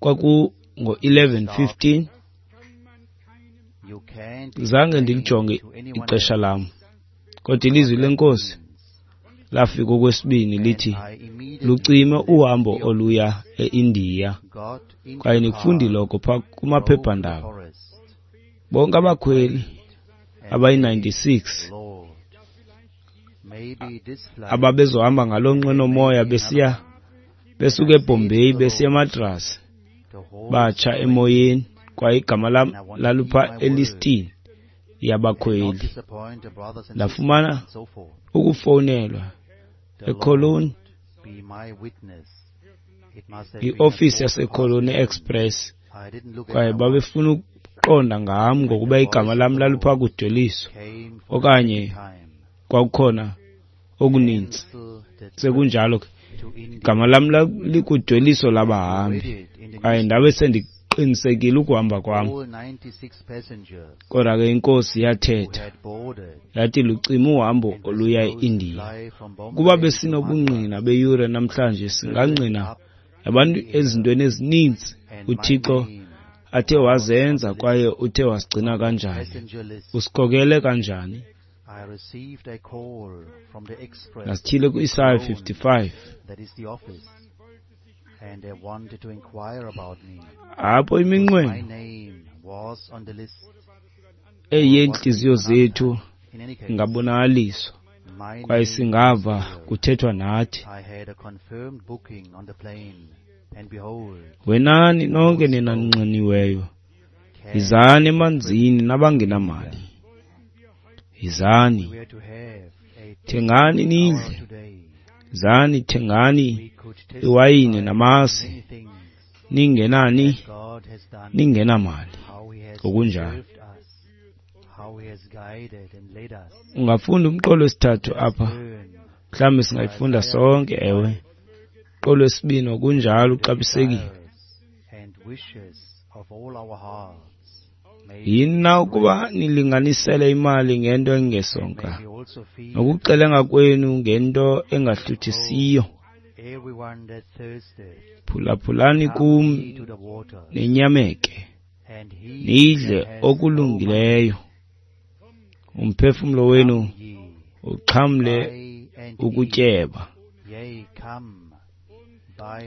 kwakungo eleven fifteen, zange ndilijonge ixesha lam, kodwa ilizwi leNkosi lafika okwesibini lithi, lucime uhambo oluya eIndiya. Kwaye nikufundile lokho phaa kumaphephandaba. Bonke abakhweli abayi-ninety-six ababezohamba ngaloo nqwenomoya besiya besuka eBombay besiya eMadras batsha emoyeni, kwaye igama lam lalupha elistini yabakhweli. Ndafumana ukufowunelwa eCologne, iofisi yaseCologne Express, kwaye babefuna ukuqonda ngam ngokuba igama lam lalupha kudweliso okanye kwakukhona okuninzi. Sekunjalo ke igama lam likudweliso labahambi, kwaye ndabe sendiqinisekile ukuhamba kwam. Kodwa ke iNkosi yathetha yathi, lucime uhambo oluya eIndiya. Kuba besinobungqina beyure namhlanje, singangqina abantu ezintweni ezininzi uThixo athe wazenza kwaye uthe wasigcina kanjani, usikhokele kanjani. Nasithile ku-Isaya fifty-five, apho iminqweno eyentliziyo zethu ingabonakaliswa kwaye singava kuthethwa nathi. Wenani nonke nina ninxaniweyo, yizani emanzini nabangenamali, yizani thengani nidle, yizani thengani iwayini namasi, ningenani ningenamali. Ngokunjalo ungafunda umqolo wesithathu apha, mhlawumbi singayifunda sonke. Ewe, umqolo wesibini ngokunjalo uxabisekile. Yini na ukuba nilinganisele imali ngento engesonka, nokuxelenga kwenu ngento engahluthisiyo? Phulaphulani kum ninyameke, nidle okulungileyo, umphefumlo wenu uxhamle ukutyeba.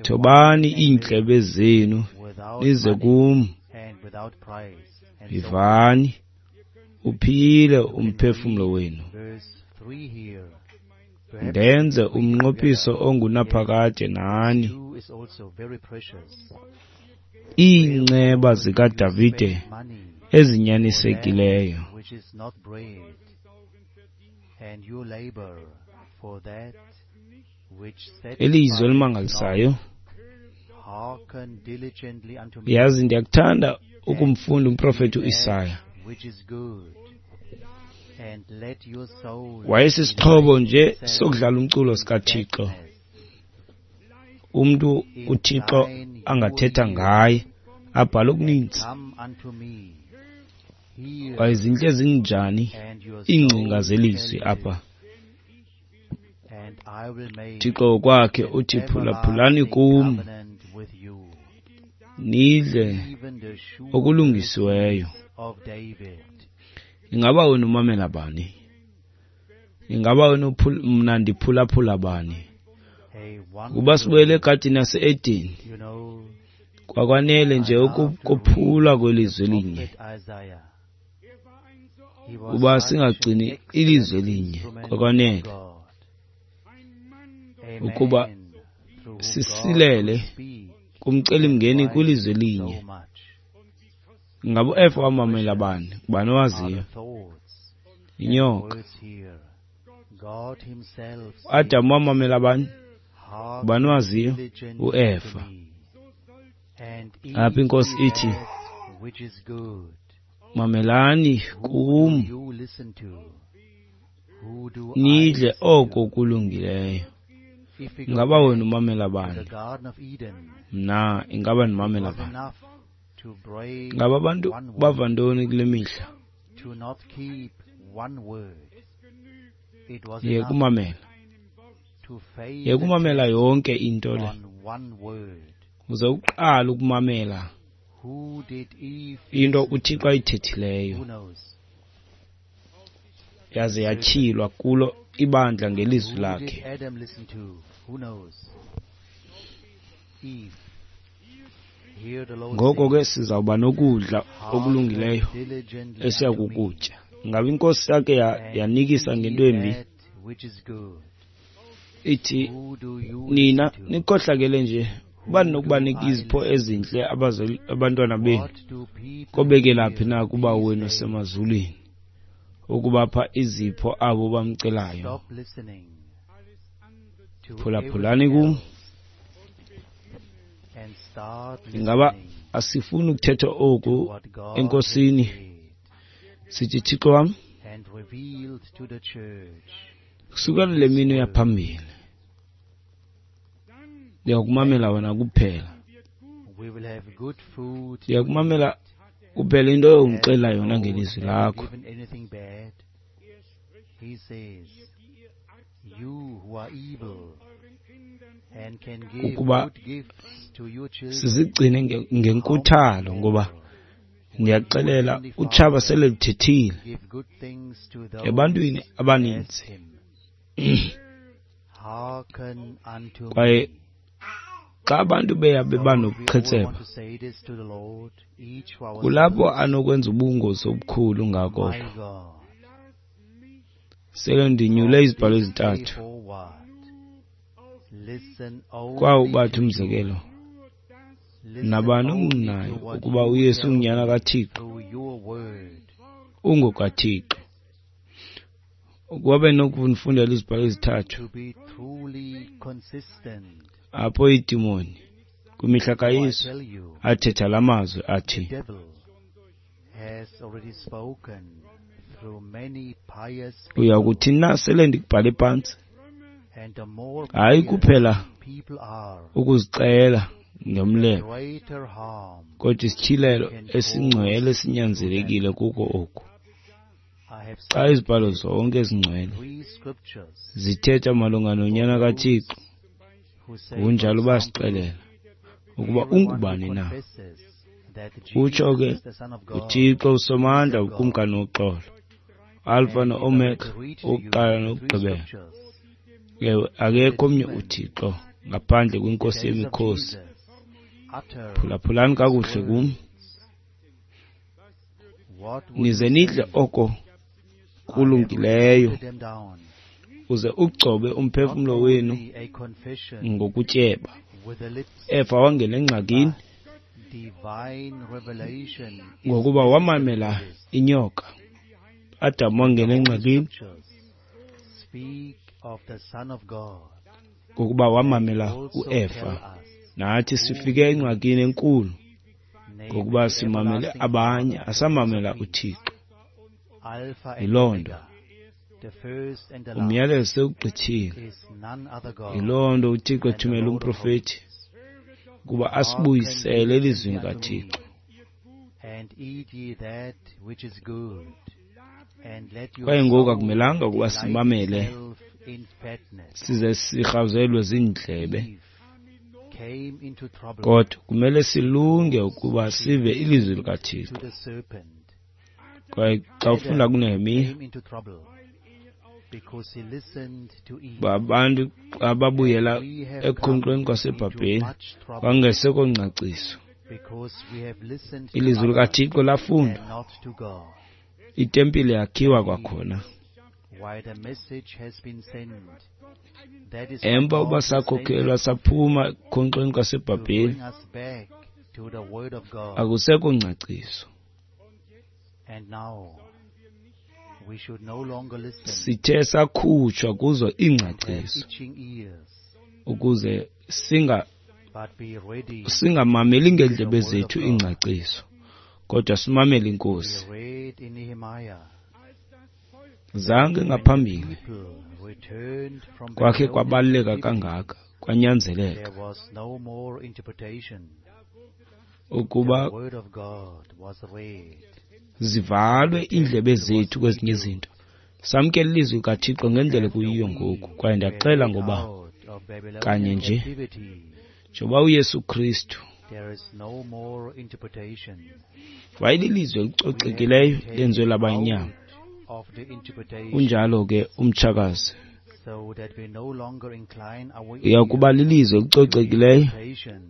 Thobani iindlebe zenu nize kum, Yivani, uphile umphefumlo wenu. Ndenze umnqophiso ongunaphakade nani. Iinceba zikaDavide ezinyanisekileyo. Elizwi elimangalisayo. Yazi, ndiyakuthanda ukumfunda umprofeti uIsaya. Wayesisixhobo nje sokudlala umculo sikaThixo, umntu uThixo angathetha ngaye abhale okuninzi. Kwaye zintle ezinjani iingcinga zelizwi apha. Thixo ngokwakhe uthi, phulaphulani kum, nidle okulungisiweyo. Ingaba wena umamela bani? Ingaba wena mna ndiphulaphula bani? Kuba sibuyele egadini yase-Edeni, kwakwanele nje ukuphula kwelizwi elinye, kuba singagcini ilizwi elinye, kwakwanele ukuba sisilele kumcelimngeni kwilizwi elinye. Ingaba uEfa wamamela bani? Ngubani owaziyo? Inyoka. uAdam wamamela bani? Ngubani owaziyo? UEfa. Apha iNkosi ithi, mamelani kum, nidle oko kulungileyo. Ingaba wena umamela bani? Mna ingaba ndimamela bani? Ngaba abantu bava ntoni kule mihla? Yeka umamela. Yeka umamela yonke into le. Uze uqale ukumamela into uThixo ayithethileyo, yaze yatyhilwa kulo ibandla ngelizwi lakhe. Ngoko ke sizawuba nokudla okulungileyo esiya kukutya. Ingaba iNkosi yakhe yanikisa ngento embi? Ithi, nina nikhohlakele nje, ubani nokubanika izipho ezintle abantwana benu, kobekela phi na kuba wenu osemazulwini ukubapha izipho abo bamcelayo? Phulaphulani kum. Ingaba asifuni ukuthetha oku eNkosini? Sithi, Thixo wam, kusukela le mini yaphambili ndiyakumamela wena kuphela. Ndiyakumamela kuphela into ongixelela yona ngelizwi lakho. Ukuba sizigcine ngenkuthalo, ngoba ndiyaxelela utshaba sele luthethile ebantwini abaninzi. Kwaye xa abantu beya beba nobuqhetseba, kulapho anokwenza ubungozi obukhulu ngako. Sele ndinyule izibhalo ezintathu. Kwawo bathi umzekelo, nabani ongqinayo ukuba uYesu ungunyana kaThixo, ungokaThixo. Ukuba benokufundela izibhalo ezithathu apho iidimoni kwimihla kaYesu athetha la mazwi athi, uya kuthi na sele ndikubhale phantsi? Hayi kuphela ukuzixela ngemlebe, kodwa isityhilelo esingcwele sinyanzelekile kuko oku. Xa izibhalo zonke ezingcwele zithetha malunga noNyana kaThixo, kunjalo basixelela ukuba ungubani na. Utsho ke uThixo uSomandla, uKumkani woxolo, Alpha no-Omega, owokuqala nokugqibela. Ewe, akekho omnye uThixo ngaphandle kweNkosi yemikhosi. Phulaphulani kakuhle kum. Nize nidle oko kulungileyo, uze ugcobe umphefumlo wenu ngokutyeba. Eva wangena engxakini ngokuba wamamela inyoka. Adam wangena engxakini ngokuba wamamela uEva. Nathi sifike engxakini enkulu ngokuba simamele abanye, asamamela uThixo. Yiloo nto umyalezo sewugqithile. Yiloo nto uThixo ethumela umprofethi ukuba asibuyisele elizwini kaThixo. Kwaye ngoku akumelanga ukuba simamele size sirhawuzelwe ziindlebe, kodwa kumele silunge ukuba sive ilizwi likaThixo. Kwaye xa ufunda kuNehemiya, babantu ababuyela ekukhonkxweni kwaseBhabheli kwangesekho ngcaciso. Ilizwi likaThixo lafundwa, itempile yakhiwa kwakhona. Emva uba sakhokhelwa saphuma ekukhonkxweni kwaseBhabheli, akusekho ngcaciso. Sithe sakhutshwa kuzo iingcaciso ukuze singa singamameli ngeendlebe zethu iingcaciso, kodwa simamele iNkosi. Zange ngaphambili kwakhe kwabaluleka kangaka, kwanyanzeleka ukuba zivalwe iindlebe zethu kwezinye izinto, samkele ilizwi likaThixo ngendlela ekuyiyo ngoku. Kwaye ndiyaxela ngoba kanye nje njengoba uYesu Kristu wayelilizwi elicocekileyo lenziwe laba yinyama, unjalo ke umtshakazi uya kuba lilizwi elicocekileyo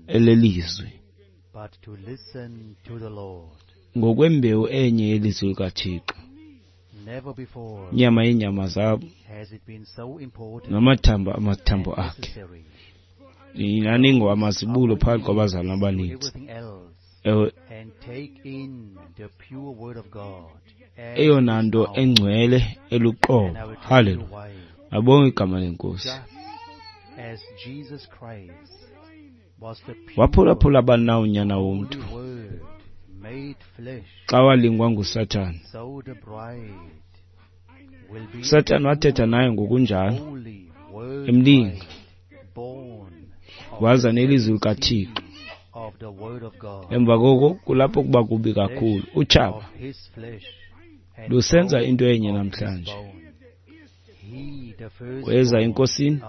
elelizwi ngokwembewu enye yelizwi likaThixo, inyama yeenyama zabo namathambo amathambo akhe. Nani ngowamazibulo phakathi kwabazalwana abaninzi. Ewe, eyona nto engcwele eluqobo. Haleluya, abonge igama leNkosi. Waphulaphula bani na unyana womntu xa walingwa nguSathana? uSathana wathetha naye ngokunjalo, emlinga, waza nelizwi likaThixo. Emva koko kulapho kuba kubi kakhulu. Utshaba lusenza into enye namhlanje. Weza eNkosini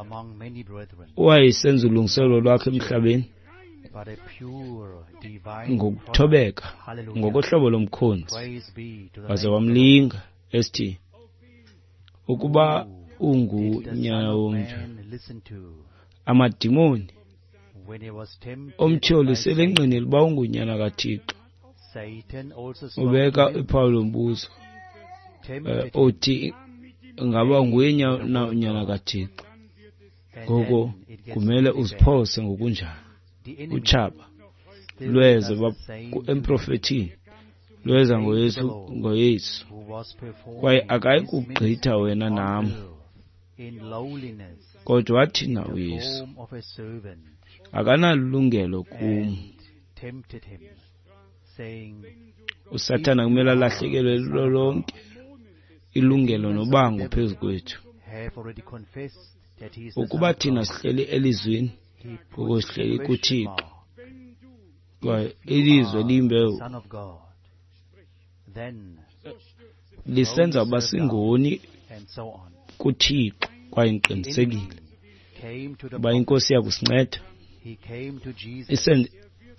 owayesenza ulungiselelo lwakhe emhlabeni ngokuthobeka, ngokohlobo lomkhonzi, waze wamlinga esithi, ukuba ungunyana womntu. Amadimoni omtyholi selengqinile uba ungunyana kaThixo. Ubeka iphawu lombuzo othi ngaba nguye na unyana kaThixo. Ngoko kumele uziphose ngokunjalo. Utshaba lweza emprofethini, lweza ngoYesu ngoYesu kwaye akayi kugqitha wena nam. Kodwa wathi na uYesu, akanalungelo kum. USathana kumele alahlekelwe lulo lonke ilungelo nobango phezu kwethu. Ukuba thina sihleli elizwini, ngoko sihleli kuThixo, kwaye ilizwe liyimbewu lisenza uba singoni kuThixo. Kwaye ndiqinisekile uba iNkosi iyakusinceda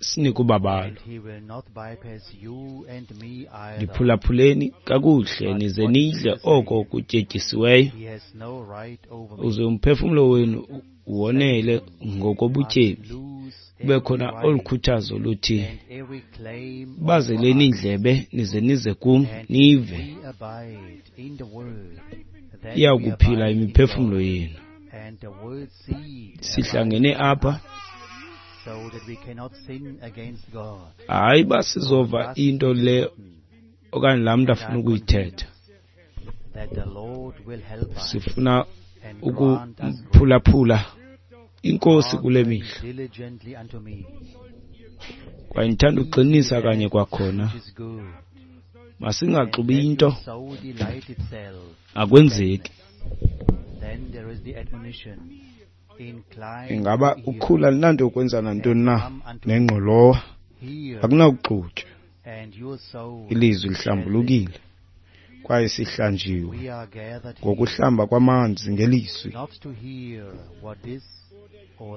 isinike ubabalo. Ndiphulaphuleni kakuhle nize nidle oko kutyetyisiweyo, uze umphefumlo wenu wonele ngokobutyebi Kube khona olu khuthazo luthi, bazeleni iindlebe nize nize kum nive, iya kuphila imiphefumlo yenu. Sihlangene apha hayi uba sizova into le okanye laa mntu afuna ukuyithetha. Sifuna ukuphulaphula iNkosi kule mihla. Kwaye ndithanda ukuqinisa kanye kwakhona, masingaxubi into, akwenzeki. Ingaba ukhula lunanto yokwenza nantoni na nengqolowa? Akunakuxutywa. Ilizwi lihlambulukile kwaye sihlanjiwe ngokuhlamba kwamanzi ngelizwi.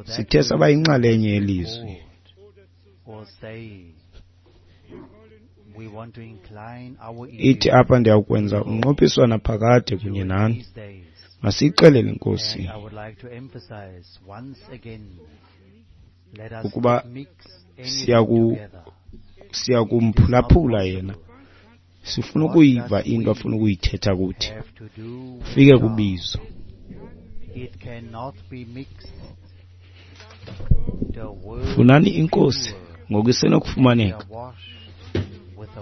Sithe saba yinxalenye yelizwi. Ithi apha, ndiyakwenza umnqophiso naphakade kunye nani. Masiyixelele iNkosi ukuba siyaku siyakumphulaphula yena. Sifuna ukuyiva into afuna ukuyithetha kuthi. Fike kubizo. Funani iNkosi ngoku isenokufumaneka.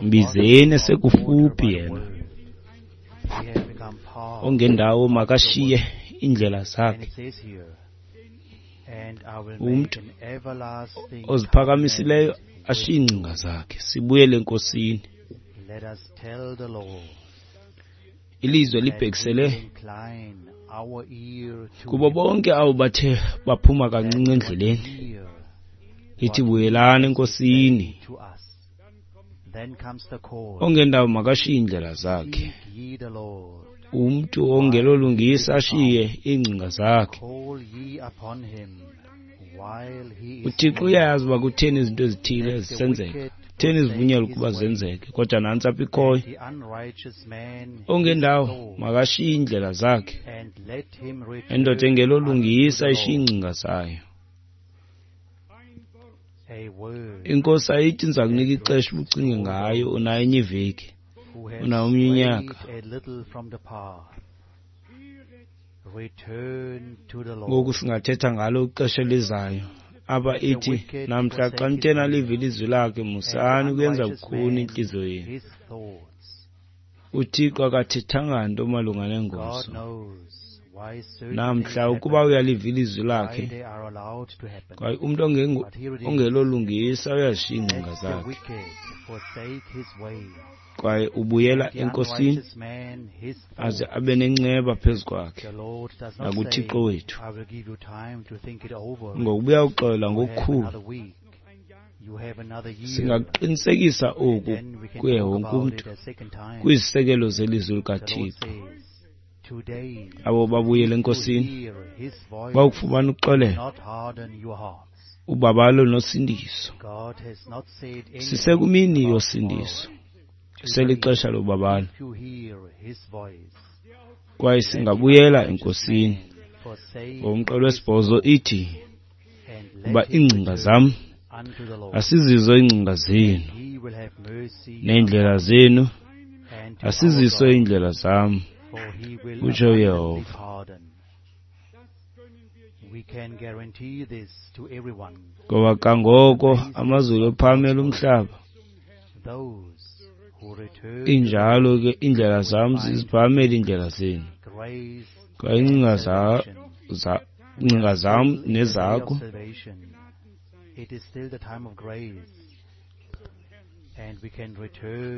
Mbizeni esekufuphi yena. Ongendawo makashiye iindlela zakhe. Umntu oziphakamisileyo ashiye iingcinga zakhe. Sibuyele eNkosini. Ilizwe libhekisele kubo bonke abo bathe baphuma kancinci endleleni. Lithi buyelani eNkosini. Ongendawo makashiye iindlela zakhe. Umntu ongelolungisa ashiye iingcinga zakhe. UThixo uyayazi uba kutheni izinto ezithile zisenzeka, kutheni zivunyelwa ukuba zenzeke, kodwa nantsi apha ikhoyo. Ongendawo makashiye iindlela zakhe. Indoda engelolungisa ishiye iingcinga zayo. Inkosi ayithi ndiza kunika ixesha ubucinge ngayo, unayo enye iveki, unawo omnye unyaka. Ngoku singathetha ngalo ixesha elizayo. Apha ithi, namhla xa nithe naliva ilizwi lakhe, musani ukuyenza lukhuni intliziyo yenu. UThixo akathethanga nto malunga nengoso. Namhla ukuba uyaliva ilizwi lakhe, kwaye umntu ongelolungisa uyazishiya iingcinga zakhe, kwaye ubuyela eNkosini aze abe nenceba phezu kwakhe nakuThixo wethu. Ngokubuya uxola ngokukhulu, singakuqinisekisa oku kuye wonke umntu kwizisekelo zelizwi likaThixo. Abo babuyele eNkosini bawukufumana uxolelo, ubabalo nosindiso. Sisekumini yosindiso, selixesha lobabalo, kwaye singabuyela eNkosini. Ngomqolo wesibhozo ithi, kuba iingcinga zam asizizo iingcinga zenu, neendlela zenu asizizo iindlela zam, utsho uYehova. Ngoba kangoko amazulu ephamela umhlaba, injalo ke iindlela zam ziziphamela iindlela zenu, kwaye iingcinga za, za, iingcinga zam nezakho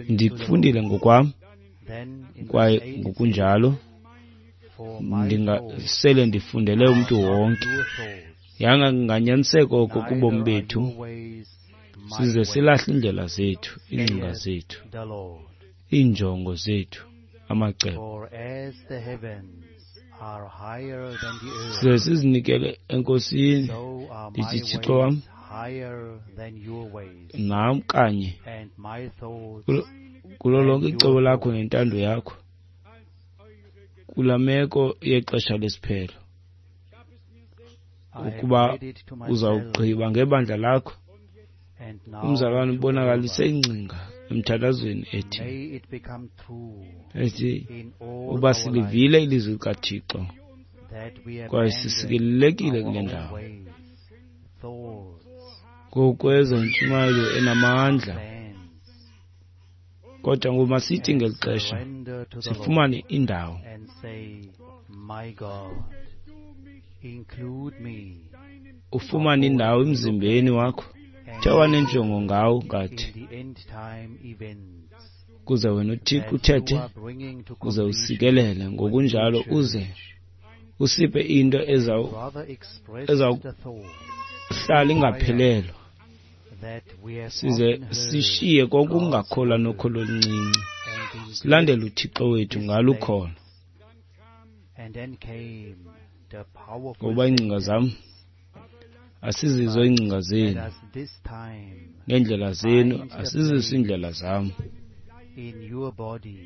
Ndikufundile ngokwam, kwaye ngokunjalo ndingasele ndifundele umntu wonke. Yanga kunganyaniseka oko kubomi bethu, size silahle iindlela zethu, iingcinga zethu, iinjongo zethu, amacebo. Size sizinikele eNkosini, ndithi Thixo wam, nam kanye kulo lonke icebo lakho nentando yakho kula meko yexesha lesiphelo. ukuba uzawugqiba ngebandla lakho. Umzalwane ubonakalise ingcinga emthandazweni ethi ethi uba silivile ilizwi likaThixo kwaye sisikelelekile kule ndawo ngokweza intshumayelo enamandla. Kodwa ngoku masithi ngeli xesha sifumane indawo ufumane indawo emzimbeni wakho uthe wanenjongo ngawo ngathi kuze wena uThixo uthethe uze usikelele ngokunjalo uze usiphe into ezawuhlala ingaphelelwa size sishiye konke ukungakholwa nokholo oluncinci silandele uThixo wethu ngalo ukholo. Ngoba iingcinga zam asizizo iingcinga zenu, neendlela zenu asizizo iindlela zam.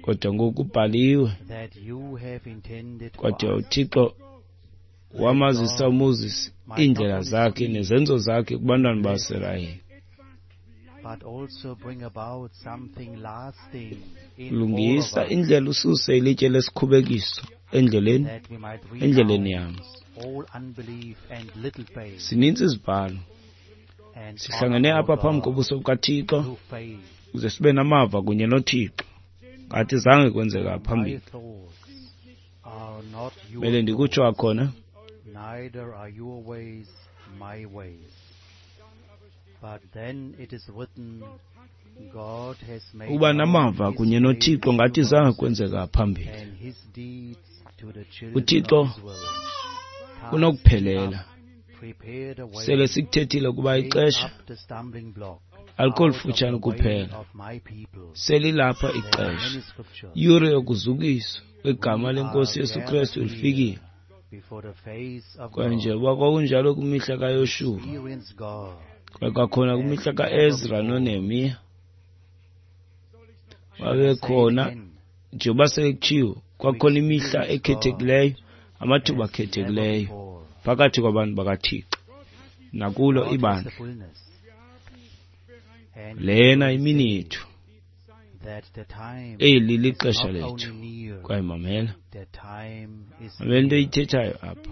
Kodwa ngoku kubhaliwe, kodwa uThixo wamazisa uMoses iindlela zakhe nezenzo zakhe kubantwana baSirayeli. Lungisa indlela ususe ilitye lesikhubekiso endleleni endleleni yam. Sininzi izibhalo. Sihlangene apha phambi kobuso bukaThixo ukuze sibe namava kunye noThixo ngathi zange kwenzeka phambili. Mele ndikutsho akhona. Uba namava kunye noThixo ngathi zange kwenzeka phambili. uThixo unokuphelela. Sele sikuthethile ukuba ixesha alikho lifutshane kuphela, selilapha ixesha. Iyure yokuzukiswa kwegama lenkosi Yesu Kristu lifikile. Kwaye njengoba kwakunjalo kwimihla kaYoshuwa, kwaye kwakhona kwimihla kaEzra noNehemiya, babekhona njengoba sekutshiwo, kwakhona imihla ekhethekileyo, amathuba akhethekileyo phakathi kwabantu bakaThixo nakulo ibandla. Lena imini yethu, eli lixesha lethu. Kwaye mamela, mamela into eyithethayo apha.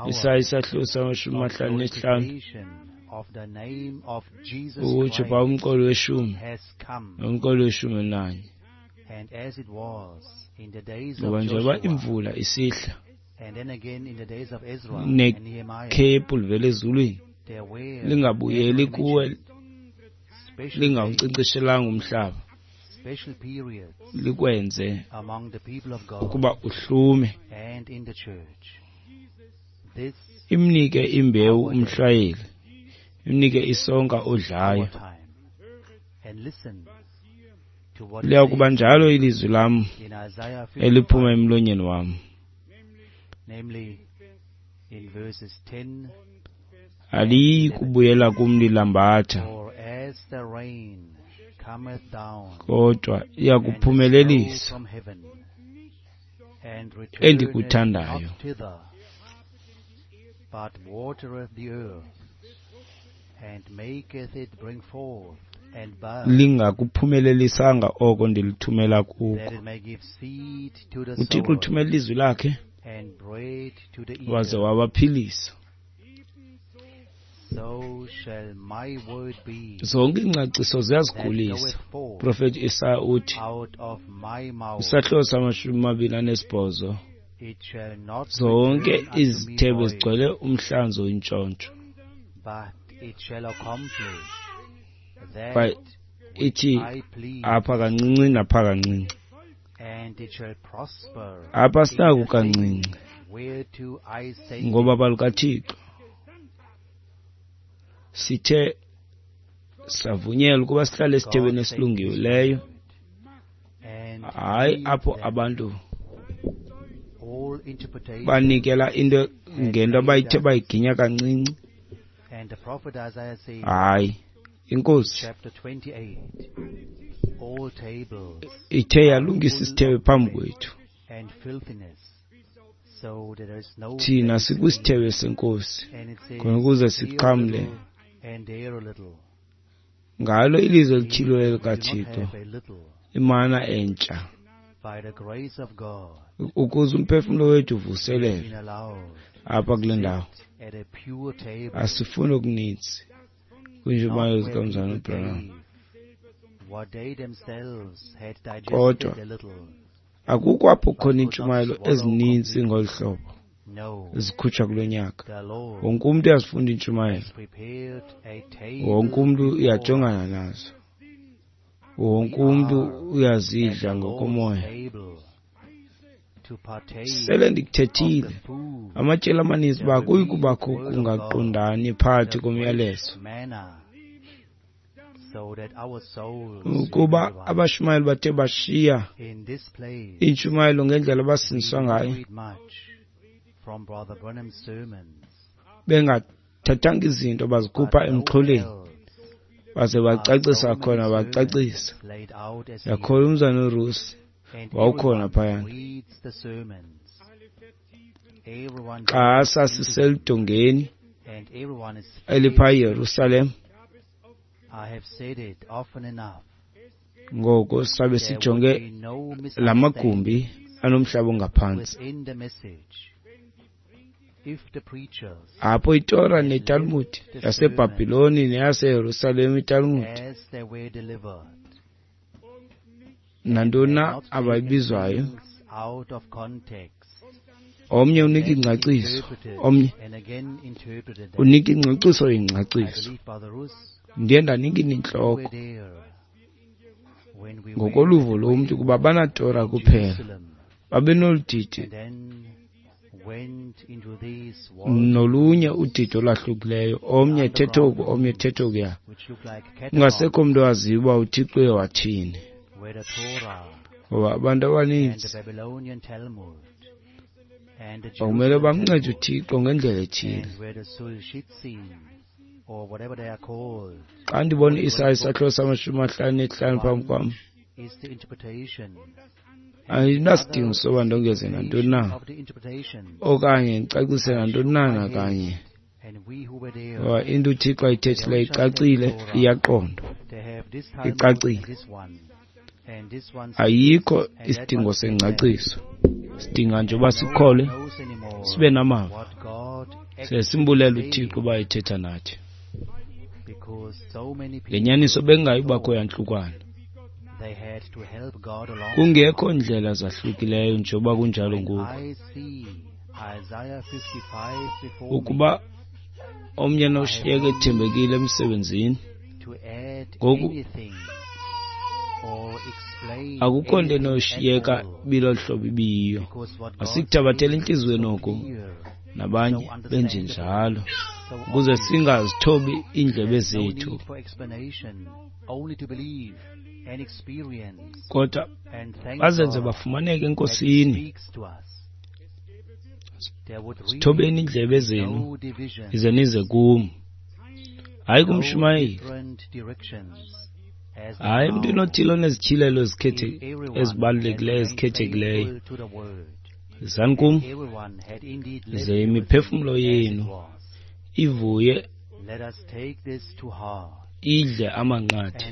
Isaya isahluko samashumi amahlanu nesihlanu ukutsho phaa umqolo weshumi nomqolo weshumi elinanye. Ngoba njengoba imvula isihla nekhephu livela ezulwini lingabuyeli kuwe lingawunkcenkceshelanga umhlaba, likwenze ukuba uhlume, imnike imbewu umhlwayeli, imnike isonka odlayo. Liya kuba njalo ilizwi lam eliphuma emlonyeni wam. Aliyi kubuyela kum lilambatha, kodwa iya kuphumelelisa endikuthandayo. Lingakuphumelelisanga oko ndilithumela kuko. UThixo uthumela ilizwi lakhe waze wabaphilisa. Zonke iingcaciso ziyazigulisa. Profeti Isaya uthi isahluko samashumi amabini anesibhozo, zonke izithebe zigcwele umhlanzo oyintshontsho. Kwaye ithi apha kancinci napha kancinci, apha sinako kancinci, ngoba balukaThixo sithe savunyelwa ukuba sihlale esithebeni esilungileyo, hayi apho abantu banikela into ngento abayithe bayiginya kancinci. Hayi, inkosi ithe yalungisa isithebe phambi kwethu, Thina sikwisithebe senkosi khona ukuze siqhamle ngalo ilizwi elityhiliweyo likaThixo, imana entsha, ukuze umphefumlo wethu uvuselelwe apha kule ndawo. Asifuni okuninzi kwiintshumayelo zikaMzalwana uBranham, kodwa akukho apho kukhona iintshumayelo ezininzi ngolu hlobo zikhutshwa kulo nyaka. Wonke umntu uyazifunda iintshumayelo, wonke umntu uyajongana nazo, wonke umntu uyazidla ngokomoya. Sele ndikuthethile amatyeli amaninzi uba kuyi kubakho kungaqondani phakathi komyalezo, ukuba abashumayeli bathe bashiya iintshumayelo ngendlela abasindiswa ngayo, bengathathanga izinto bazikhupha emxholweni baze bacacisa khona bacacisa. Yakholwa umzana uRusi wawukhona phayana xa sasiseludongeni elipha eYerusalem. Ngoko sabe sijonge la magumbi anomhlaba ongaphantsi, apho iTora neTalmud yaseBhabhiloni neyaseYerusalem iTalmud nantoni na abayibizwayo, omnye unika ingcaciso, omnye unika ingcaciso ingcaciso. Ndiye ndanika intloko ngokoluvo lomntu kuba banaTora kuphela, babenoludidi nolunye udidi olwahlukileyo, omnye ethetha oku, omnye ethetha okuya, kungasekho mntu owaziyo uba uThixo uye wathini, ngoba abantu abaninzi bakumele bamncede uThixo ngendlela ethile. Xa ndibona uIsaya isahluko samashumi amahlanu nesihlanu phambi kwam, andinasidingo soba ndongeze nantoni na okanye ndicacise nantoni na nakanye, ngoba into uThixo ayithethileyo icacile, iyaqondwa, icacile. Ayikho isidingo sengcaciso, sidinga nje uba sikholwe, sibe namava, size simbulele uThixo uba ethetha nathi. Ngenyaniso bengayi kubakho yantlukwano, kungekho ndlela zahlukileyo njengoba kunjalo ngoku. Ukuba omnye noshiyeka ethembekile emsebenzini, ngoku akukho nto enoshiyeka bilolu hlobo ibiyiyo. Masikuthabathele entliziyweni oku, nabanye benjenjalo, ukuze singazithobi iindlebe zethu, kodwa bazenze bafumaneke eNkosini. Zithobeni iindlebe zenu ize nize kum, hayi kumshumayeli, hayi emntwini othile onezityhilelo ezibalulekileyo ezikhethekileyo. Zani kum, ize imiphefumlo yenu ivuye, idle amanqathe.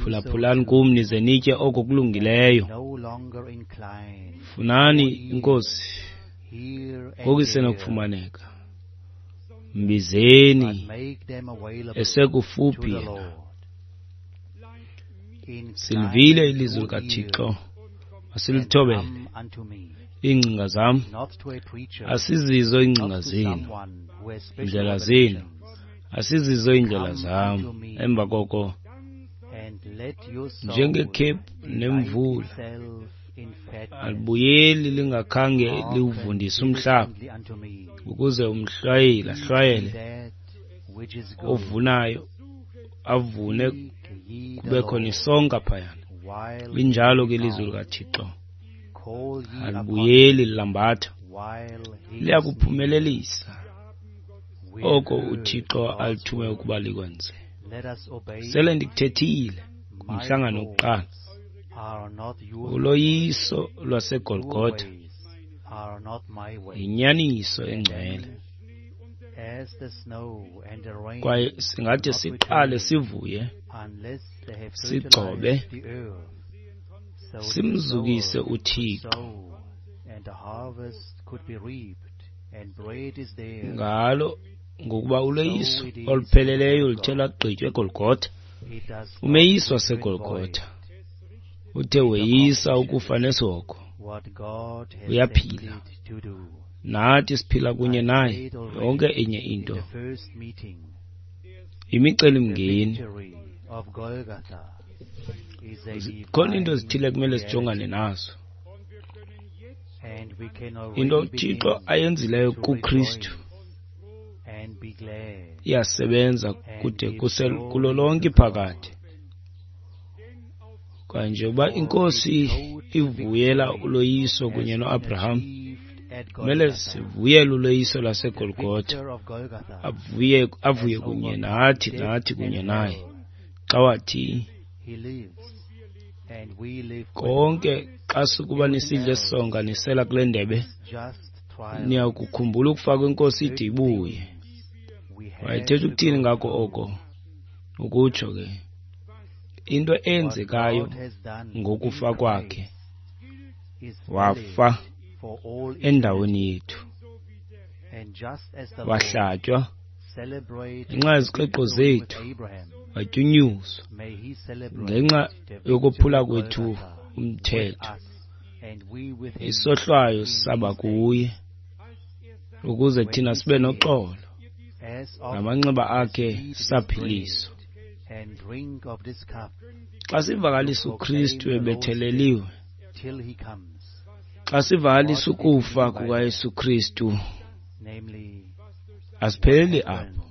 Phulaphulani kum nize nitye oko kulungileyo. Funani iNkosi ngoku isenokufumaneka, mbizeni esekufuphi yena. Silivile ilizwi likaThixo, masilithobele. Iingcinga zam asizizo iingcinga zenu, iindlela zenu asizizo iindlela zam. Emva koko, njengekhephu nemvula, alibuyeli lingakhange liwuvundise umhlaba, ukuze umhlwayeli ahlwayele, ovunayo avune, kube khona isonka phayana. Linjalo ke ilizwi likaThixo, alibuyeli lilambatha, liyakuphumelelisa oko uThixo alithume ukuba likwenze. Sele ndikuthethile kumhlangano wokuqala, uloyiso lwaseGolgotha Yinyaniso engcwele. Kwaye singathi siqale sivuye, sigcobe, simzukise uThixo ngalo, ngokuba uloyiso olupheleleyo luthe lwagqitywa eGolgotha. Umeyiso waseGolgotha uthe weyisa ukufa nesihogo. Uyaphila, nathi siphila kunye naye. Yonke enye into yimicelimngeni. Khona into ezithile kumele sijongane nazo. Into uThixo ayenzileyo kuKristu iyasebenza kude kuse kulo lonke iphakade. Kwaye njengoba iNkosi ivuyela uloyiso kunye noAbraham, kumele sivuyele uloyiso lwaseGolgotha. Avuye avuye kunye nathi, nathi kunye naye. Xa wathi konke, xa sukuba nisidla esonka nisela kule ndebe, niyakukhumbula ukufa kweNkosi ide ibuye. Wayethetha ukuthini ngako oko? Ukutsho ke into eyenzekayo ngokufa kwakhe, wafa endaweni yethu, wahlatywa ngenxa yeziqeqo zethu, watyunyuzwa ngenxa yokophula kwethu umthetho. Isohlwayo saba kuye ukuze thina sibe noxolo, ngamanxeba akhe saphiliswa. Xa sivakalisa uKristu ebetheleliwe, xa sivakalisa ukufa kukaYesu Kristu, asipheleli apho.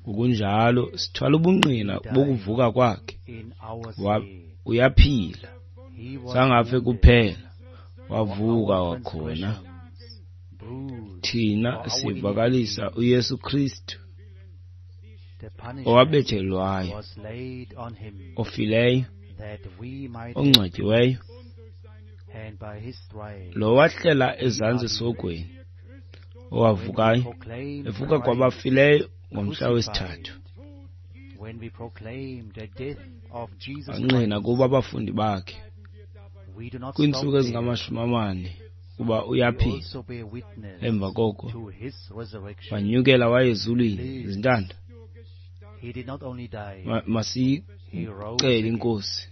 Ngokunjalo sithwala ubungqina bokuvuka kwakhe. Uyaphila, zangafe kuphela, wavuka wakhona. Thina sivakalisa uYesu Kristu owabethelwayo, ofileyo, ongcwatyiweyo, lo wahlela ezantsi esihogweni, owavukayo evuka kwabafileyo ngomhla wesithathu. Angqina kubo abafundi bakhe kwiintsuku ezingamashumi amane kuba uyaphila. Emva koko wanyukela waye ezulwini. Zintanda, masiyicele iNkosi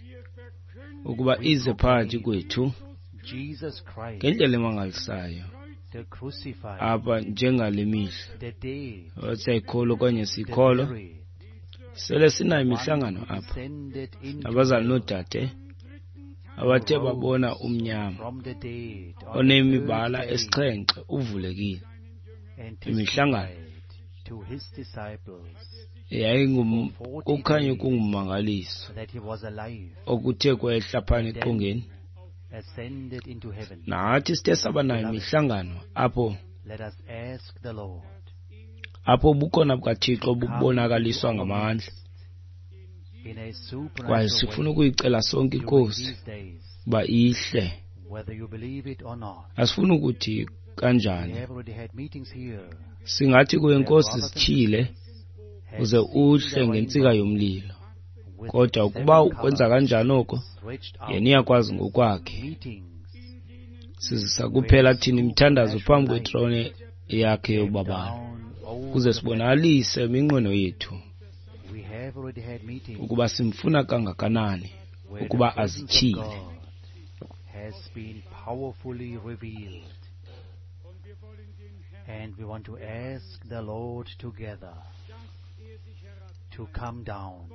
ukuba ize phakathi kwethu ngendlela emangalisayo apha njengale mihla. Siyayikholwa okanye siyikholwa, sele sinayo imihlangano apha nabazali noodade abathe babona umnyama onemibala esixhenxe uvulekile. Imihlangano yayingukukhanya okungummangaliso okuthe kwehla phana eqongeni. Nathi sithe saba nayo imihlangano apho apho ubukhona bukaThixo bubonakaliswa ngamandla. Kwaye sifuna ukuyicela sonke iNkosi uba ihle. Asifuni ukuthi kanjani, singathi kuye, Nkosi, sityhile uze uhle ngentsika yomlilo. Kodwa ukuba ukwenza kanjani oko, yena uyakwazi ngokwakhe. Sizisa kuphela thina imithandazo phambi kwetrone yakhe yobabalo, ukuze sibonakalise iminqweno yethu ukuba simfuna kangakanani ukuba azityhile. And we want to ask the Lord together to come down.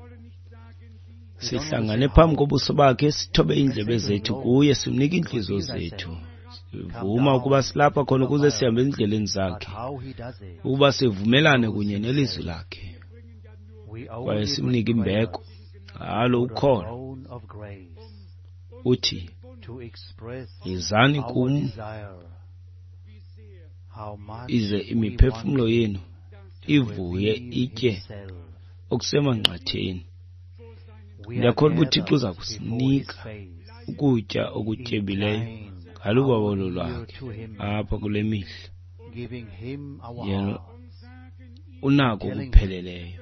Sihlangane phambi kobuso bakhe, sithobe iindlebe zethu kuye, simnike iintliziyo zethu. Sivuma ukuba silapha khona ukuze sihambe ezindleleni zakhe, ukuba sivumelane kunye nelizwi lakhe, kwaye simnike imbeko ngalo ukholo. Uthi, yizani kum ize imiphefumlo yenu ivuye itye okusemanqatheni. Ndiyakholwa uba uThixo uza kusinika ukutya okutyebileyo Ngalubabalo lwakhe apha kule mihla, yena unako okupheleleyo.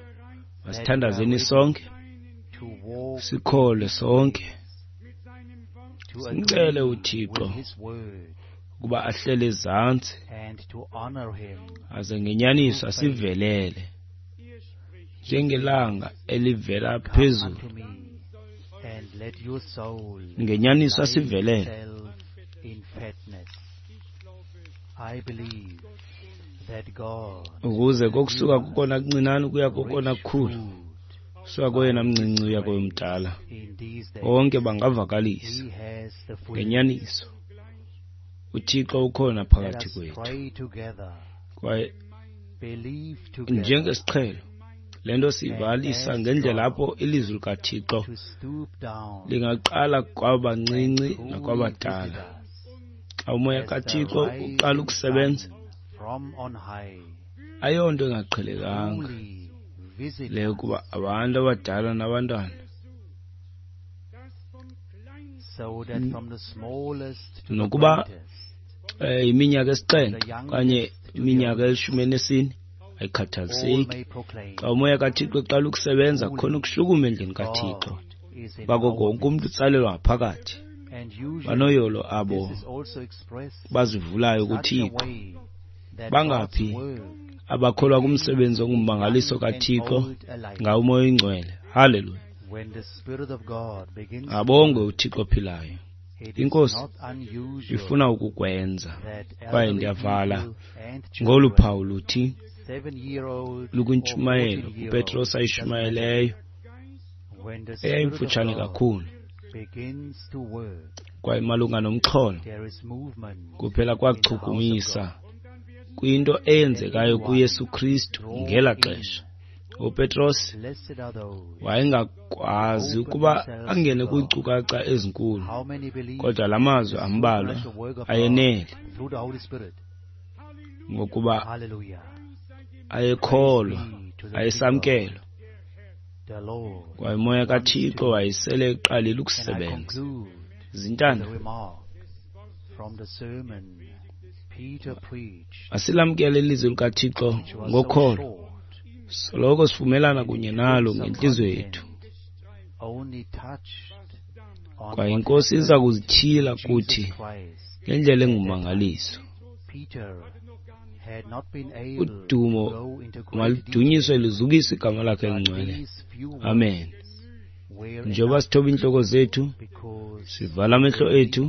Masithandazeni sonke, sikholwe sonke, simcele uThixo ukuba ahlele ezantsi aze ngenyaniso asivelele njengelanga elivela phezulu. Ngenyaniso asivelele. Ukuze kokusuka kukona kuncinane ukuya kokona kukhulu, kusuka koyena mncinci uya koyomdala, bonke bangavakalisa ngenyaniso uThixo ukhona phakathi kwethu. Kwaye njengesiqhelo le nto siyivalisa ngendlela apho ilizwi likaThixo lingaqala kwabancinci nakwabadala. Xa umoya kaThixo uqala ukusebenza, ayonto engaqhelekanga leyo kuba abantu abadala nabantwana, nokuba iminyaka esixhenxe okanye iminyaka elishumi elinesine, ayikhathaliseki. Xa umoya kaThixo eqala ukusebenza, kukhona ukushukuma endlini kaThixo, bako wonke umntu utsalelwa ngaphakathi. Banoyolo abo bazivulayo kuThixo. Bangaphi abakholwa kumsebenzi ongummangaliso kaThixo ngawo uMoya oyiNgcwele? Haleluya! Abongwe uThixo ophilayo. INkosi ifuna ukukwenza. Kwaye ndiyavala ngolu phawu luthi lukwintshumayelo uPetros ayishumayeleyo, eyayimfutshane kakhulu kwaye malunga nomxholo kuphela kwachukumisa kwinto eyenzekayo kuYesu Kristu ngela xesha. UPetros wayengakwazi ukuba angene kwiinkcukacha ezinkulu, kodwa la mazwi ambalwa ayenele, ngokuba ayekholwa, ayesamkelwa, kwaye umoya kaThixo wayesele eqalile ukusebenza. Zintanda, masilamkele ilizwi likaThixo ngokholo, soloko sivumelana kunye nalo ngentliziyo yethu. Kwaye iNkosi iza kuzityhila kuthi ngendlela engummangaliso. Udumo maludunyiswe luzukiswe igama lakhe elingcwele. Amen. Njengoba sithoba iintloko zethu, sivala amehlo ethu,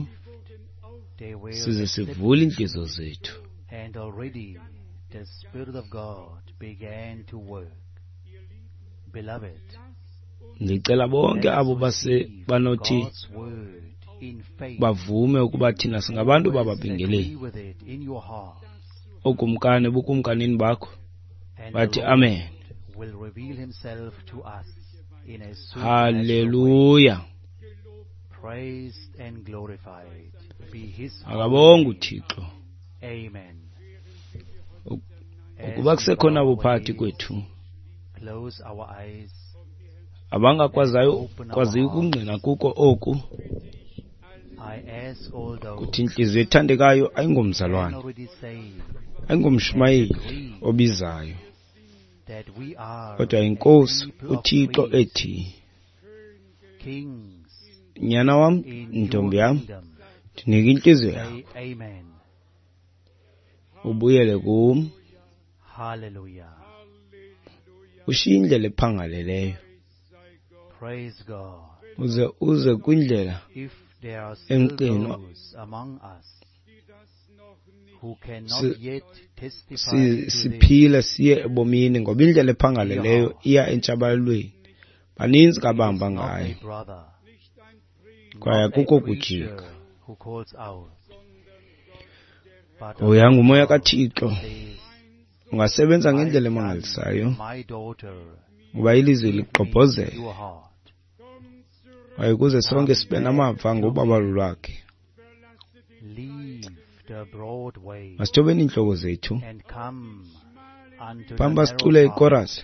size sivule iintliziyo zethu. The Spirit of God began to work. Beloved, ndicela bonke abo base banothi bavume ukuba thina singabantu bababingeleli okumkani bukumkanini bakho, bathi amen. Haleluya. Akabonge uThixo. Amen. Ukuba kusekhona abo phakathi kwethu abangakwaziyo kwaziyo ukungqina kuko oku, kuthi intliziyo ethandekayo ayingomzalwane, ayingomshumayeli obizayo, kodwa iNkosi uThixo ethi, nyana wam, ntombi yam, ndinike intliziyo yakho, ubuyele kum, Hallelujah. Ushiye indlela ephangaleleyo, Praise God. uze uze kwindlela If there are still emqinwa those among us who cannot Si- yet testify si- to this, siphile siye ebomini, ngoba indlela ephangaleleyo iya entshabalalweni. Baninzi kabahamba not ngayo, a brother, kwaye not a akukho preacher kujika. who calls out, but Hoya ngumoya God kaThixo says, ungasebenza ngendlela "I've done, emangalisayo, my daughter, ngoba ilizwi give me ligqobhozele, your heart. kwaye ukuze sonke sibe namava ngobabalo lwakhe. Leave the broad way Masithobeni iintloko zethu and come unto the phambi narrow basicule path ikorasi.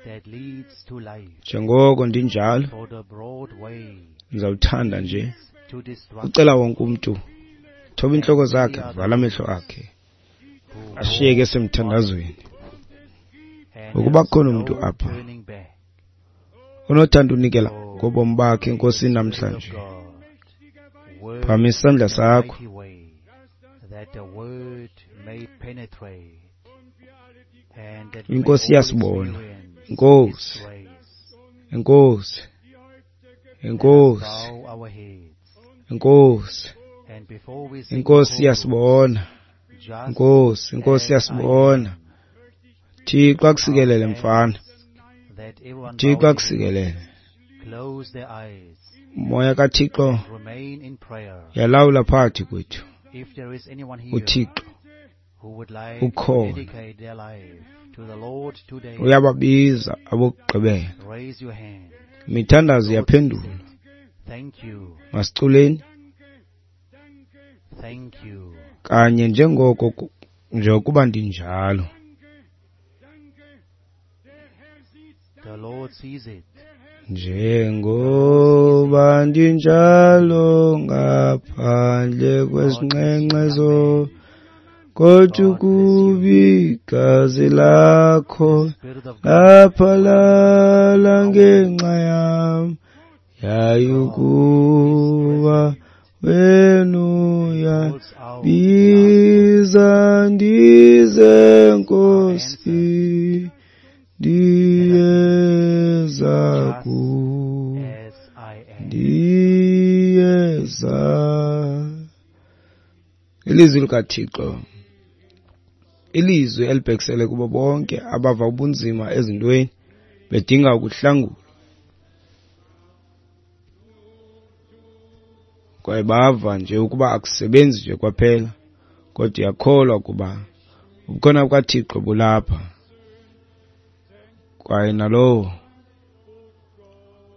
that leads to life. Njengoko ndinjalo, For the broad way ndizawuthanda nje to destruction, ucela wonke umntu Thoba intloko zakhe, vala amehlo akhe, ashiyeke esemthandazweni. Ukuba kukhona umntu apha onothanda unikela ngobomi bakhe eNkosini namhlanje, phakamisa isandla sakho. INkosi iyasibona. Inkosi, Inkosi, Inkosi, Inkosi, Inkosi iyasibona. Inkosi, Inkosi iyasibona. Thixo akusikelele mfana. Thixo akusikelele. Moya kaThixo yalawula phakathi kwethu. UThixo ukhona, uyababiza abokugqibela. Imithandazo iyaphendulwa. Masiculeni kanye njengoko njengokuba ndinjalo. Njengoba ndinjalo ngaphandle kwesinqenqezo, kodwa kubi igazi lakho laphalala ngenxa yam, yayukuba wena uyabiza ndize Nkosi, ndiyeza ku, ndiyeza. Ilizwi likaThixo, ilizwi elibhekisele kubo bonke abava ubunzima ezintweni bedinga ukuhlangulwa, kwaye bava nje ukuba akusebenzi nje kwaphela, kodwa uyakholwa ukuba ubukhona bukaThixo bulapha, kwaye nalowo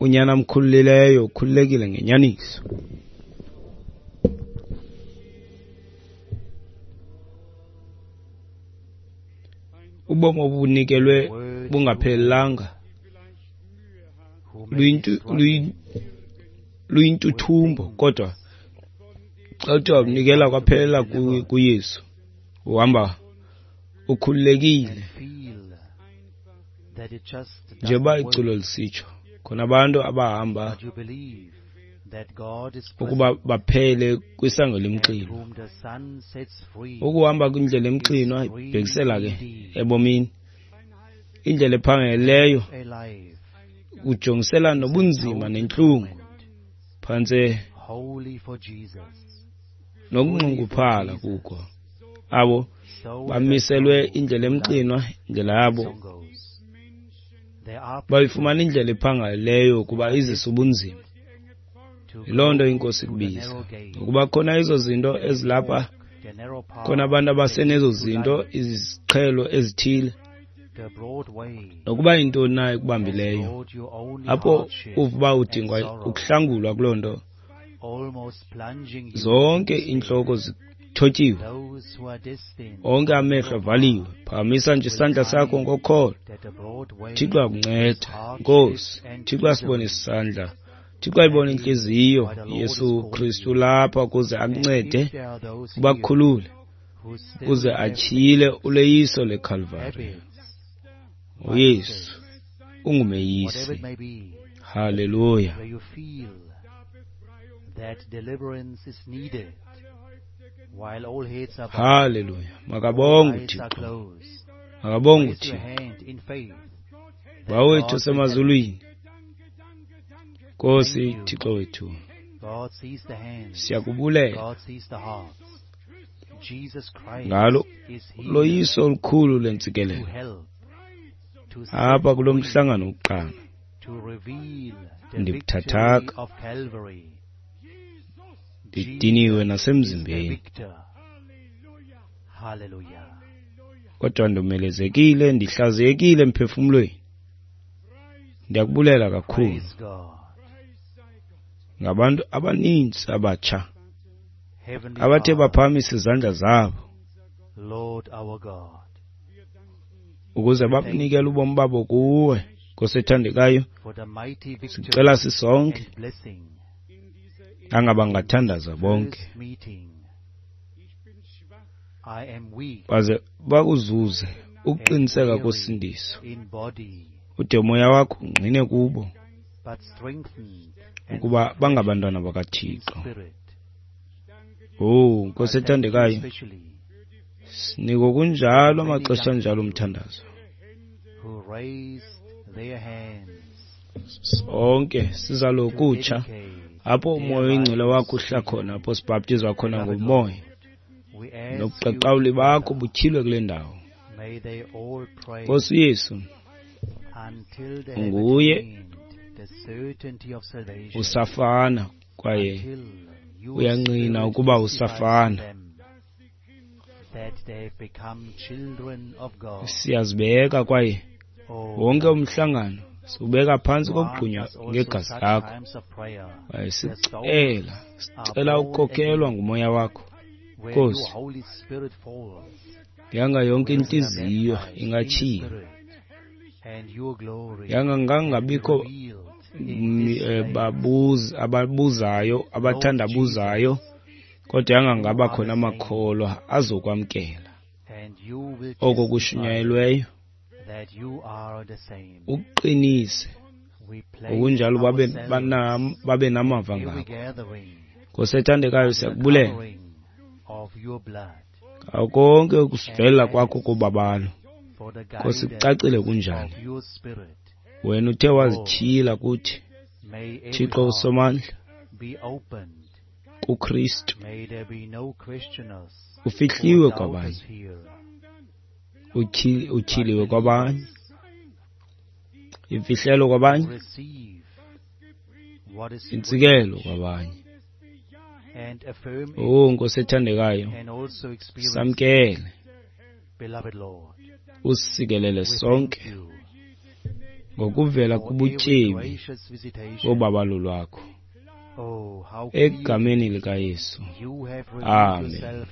unyana amkhululileyo ukhululekile ngenyaniso. Ubomi obunikelwe bungaphelelanga luyintuthumbo, kodwa xa uthe wabunikela kwaphelela kuYesu, uhamba ukhululekile. Njengoba iculo lisitsho, khona abantu abahamba ukuba baphele kwisango lemxinwa. Ukuhamba kwindlela emxinwa ibhekisela ke ebomini. Indlela ephangeleleyo ujongisela nobunzima nentlungu, phantse nokunxunguphala kuko. Abo bamiselwe indlela emxinwa, indlela yabo bayifumana indlela ephangaleleyo kuba izisa ubunzima. Yiloo nto iNkosi ikubiza, ukuba khona ezo zinto ezilapha, khona abantu abasenezo zinto, iziqhelo ezithile, nokuba yintoni na ekubambileyo, apho uva uba udingwa ukuhlangulwa kuloo nto, zonke iintloko zithotyiwe, onke amehlo avaliwe. Phakamisa nje isandla sakho ngokholo. Thixo akunceda. Nkosi, Thixo asibone isandla, Thixo ayibone intliziyo. Yesu Kristu lapha ukuze akuncede, ubakhulule, ukuze atyhile uleyiso leKalvari. uYesu ungumeyisi. Haleluya. Haleluya. Makabongwe uThixo, makabongwe uThixo. Bawo wethu osemazulwini, Nkosi Thixo wethu, siyakubulela ngalo loyiso olukhulu lentsikelelo apha kulo mhlangano wokuqala. Ndibuthathaka, ndidiniwe nasemzimbeni, kodwa ndomelezekile, ndihlaziyekile emphefumlweni. Ndiyakubulela kakhulu ngabantu abaninzi abatsha abathe baphakamisa izandla zabo ukuze babunikele ubomi babo kuwe, Nkosi ethandekayo. Sicela sisonke angabangathandaza bonke Baze bakuzuze ukuqiniseka kosindiso, ude umoya wakho ungqine kubo ukuba bangabantwana bakaThixo. Oh, Nkosi ethandekayo, siniko kunjalo amaxesha anjalo umthandazo. Sonke sizalokutsha apho umoya oyingcwele wakho uhla khona, apho sibhaptizwa khona ngomoya, nobuqaqawuli bakho butyhilwe kule ndawo. Nkosi Yesu, nguye usafana kwaye uyangqina ukuba usafana. Siyazibeka kwaye wonke umhlangano siwubeka phantsi kokugqunywa ngegazi lakho. Kwaye sicela sicela ukukhokelwa ngumoya wakho, Nkosi. Yanga yonke intliziyo ingatyhilwa, yanga ngangabikho babuzi ababuzayo abathandabuzayo, kodwa yanga ngaba khona amakholwa azokwamkela oko kushunyayelweyo, uqinise ngokunjalo babe babe namava ngako. Nkosi ethandekayo, siyakubulela ngako konke ukusivela kwakho kobabalo. Nkosi, kucacile kunjani wena uthe wazityhila kuthi, Thixo uSomandla, kuKristu. Ufihliwe kwabanye, utyhiliwe kwabanye, imfihlelo kwabanye, intsikelo kwabanye. Oh, Nkosi ethandekayo, samkele, usisikelele sonke ngokuvela kubutyebi bobabalo lwakho. Egameni likaYesu, amen.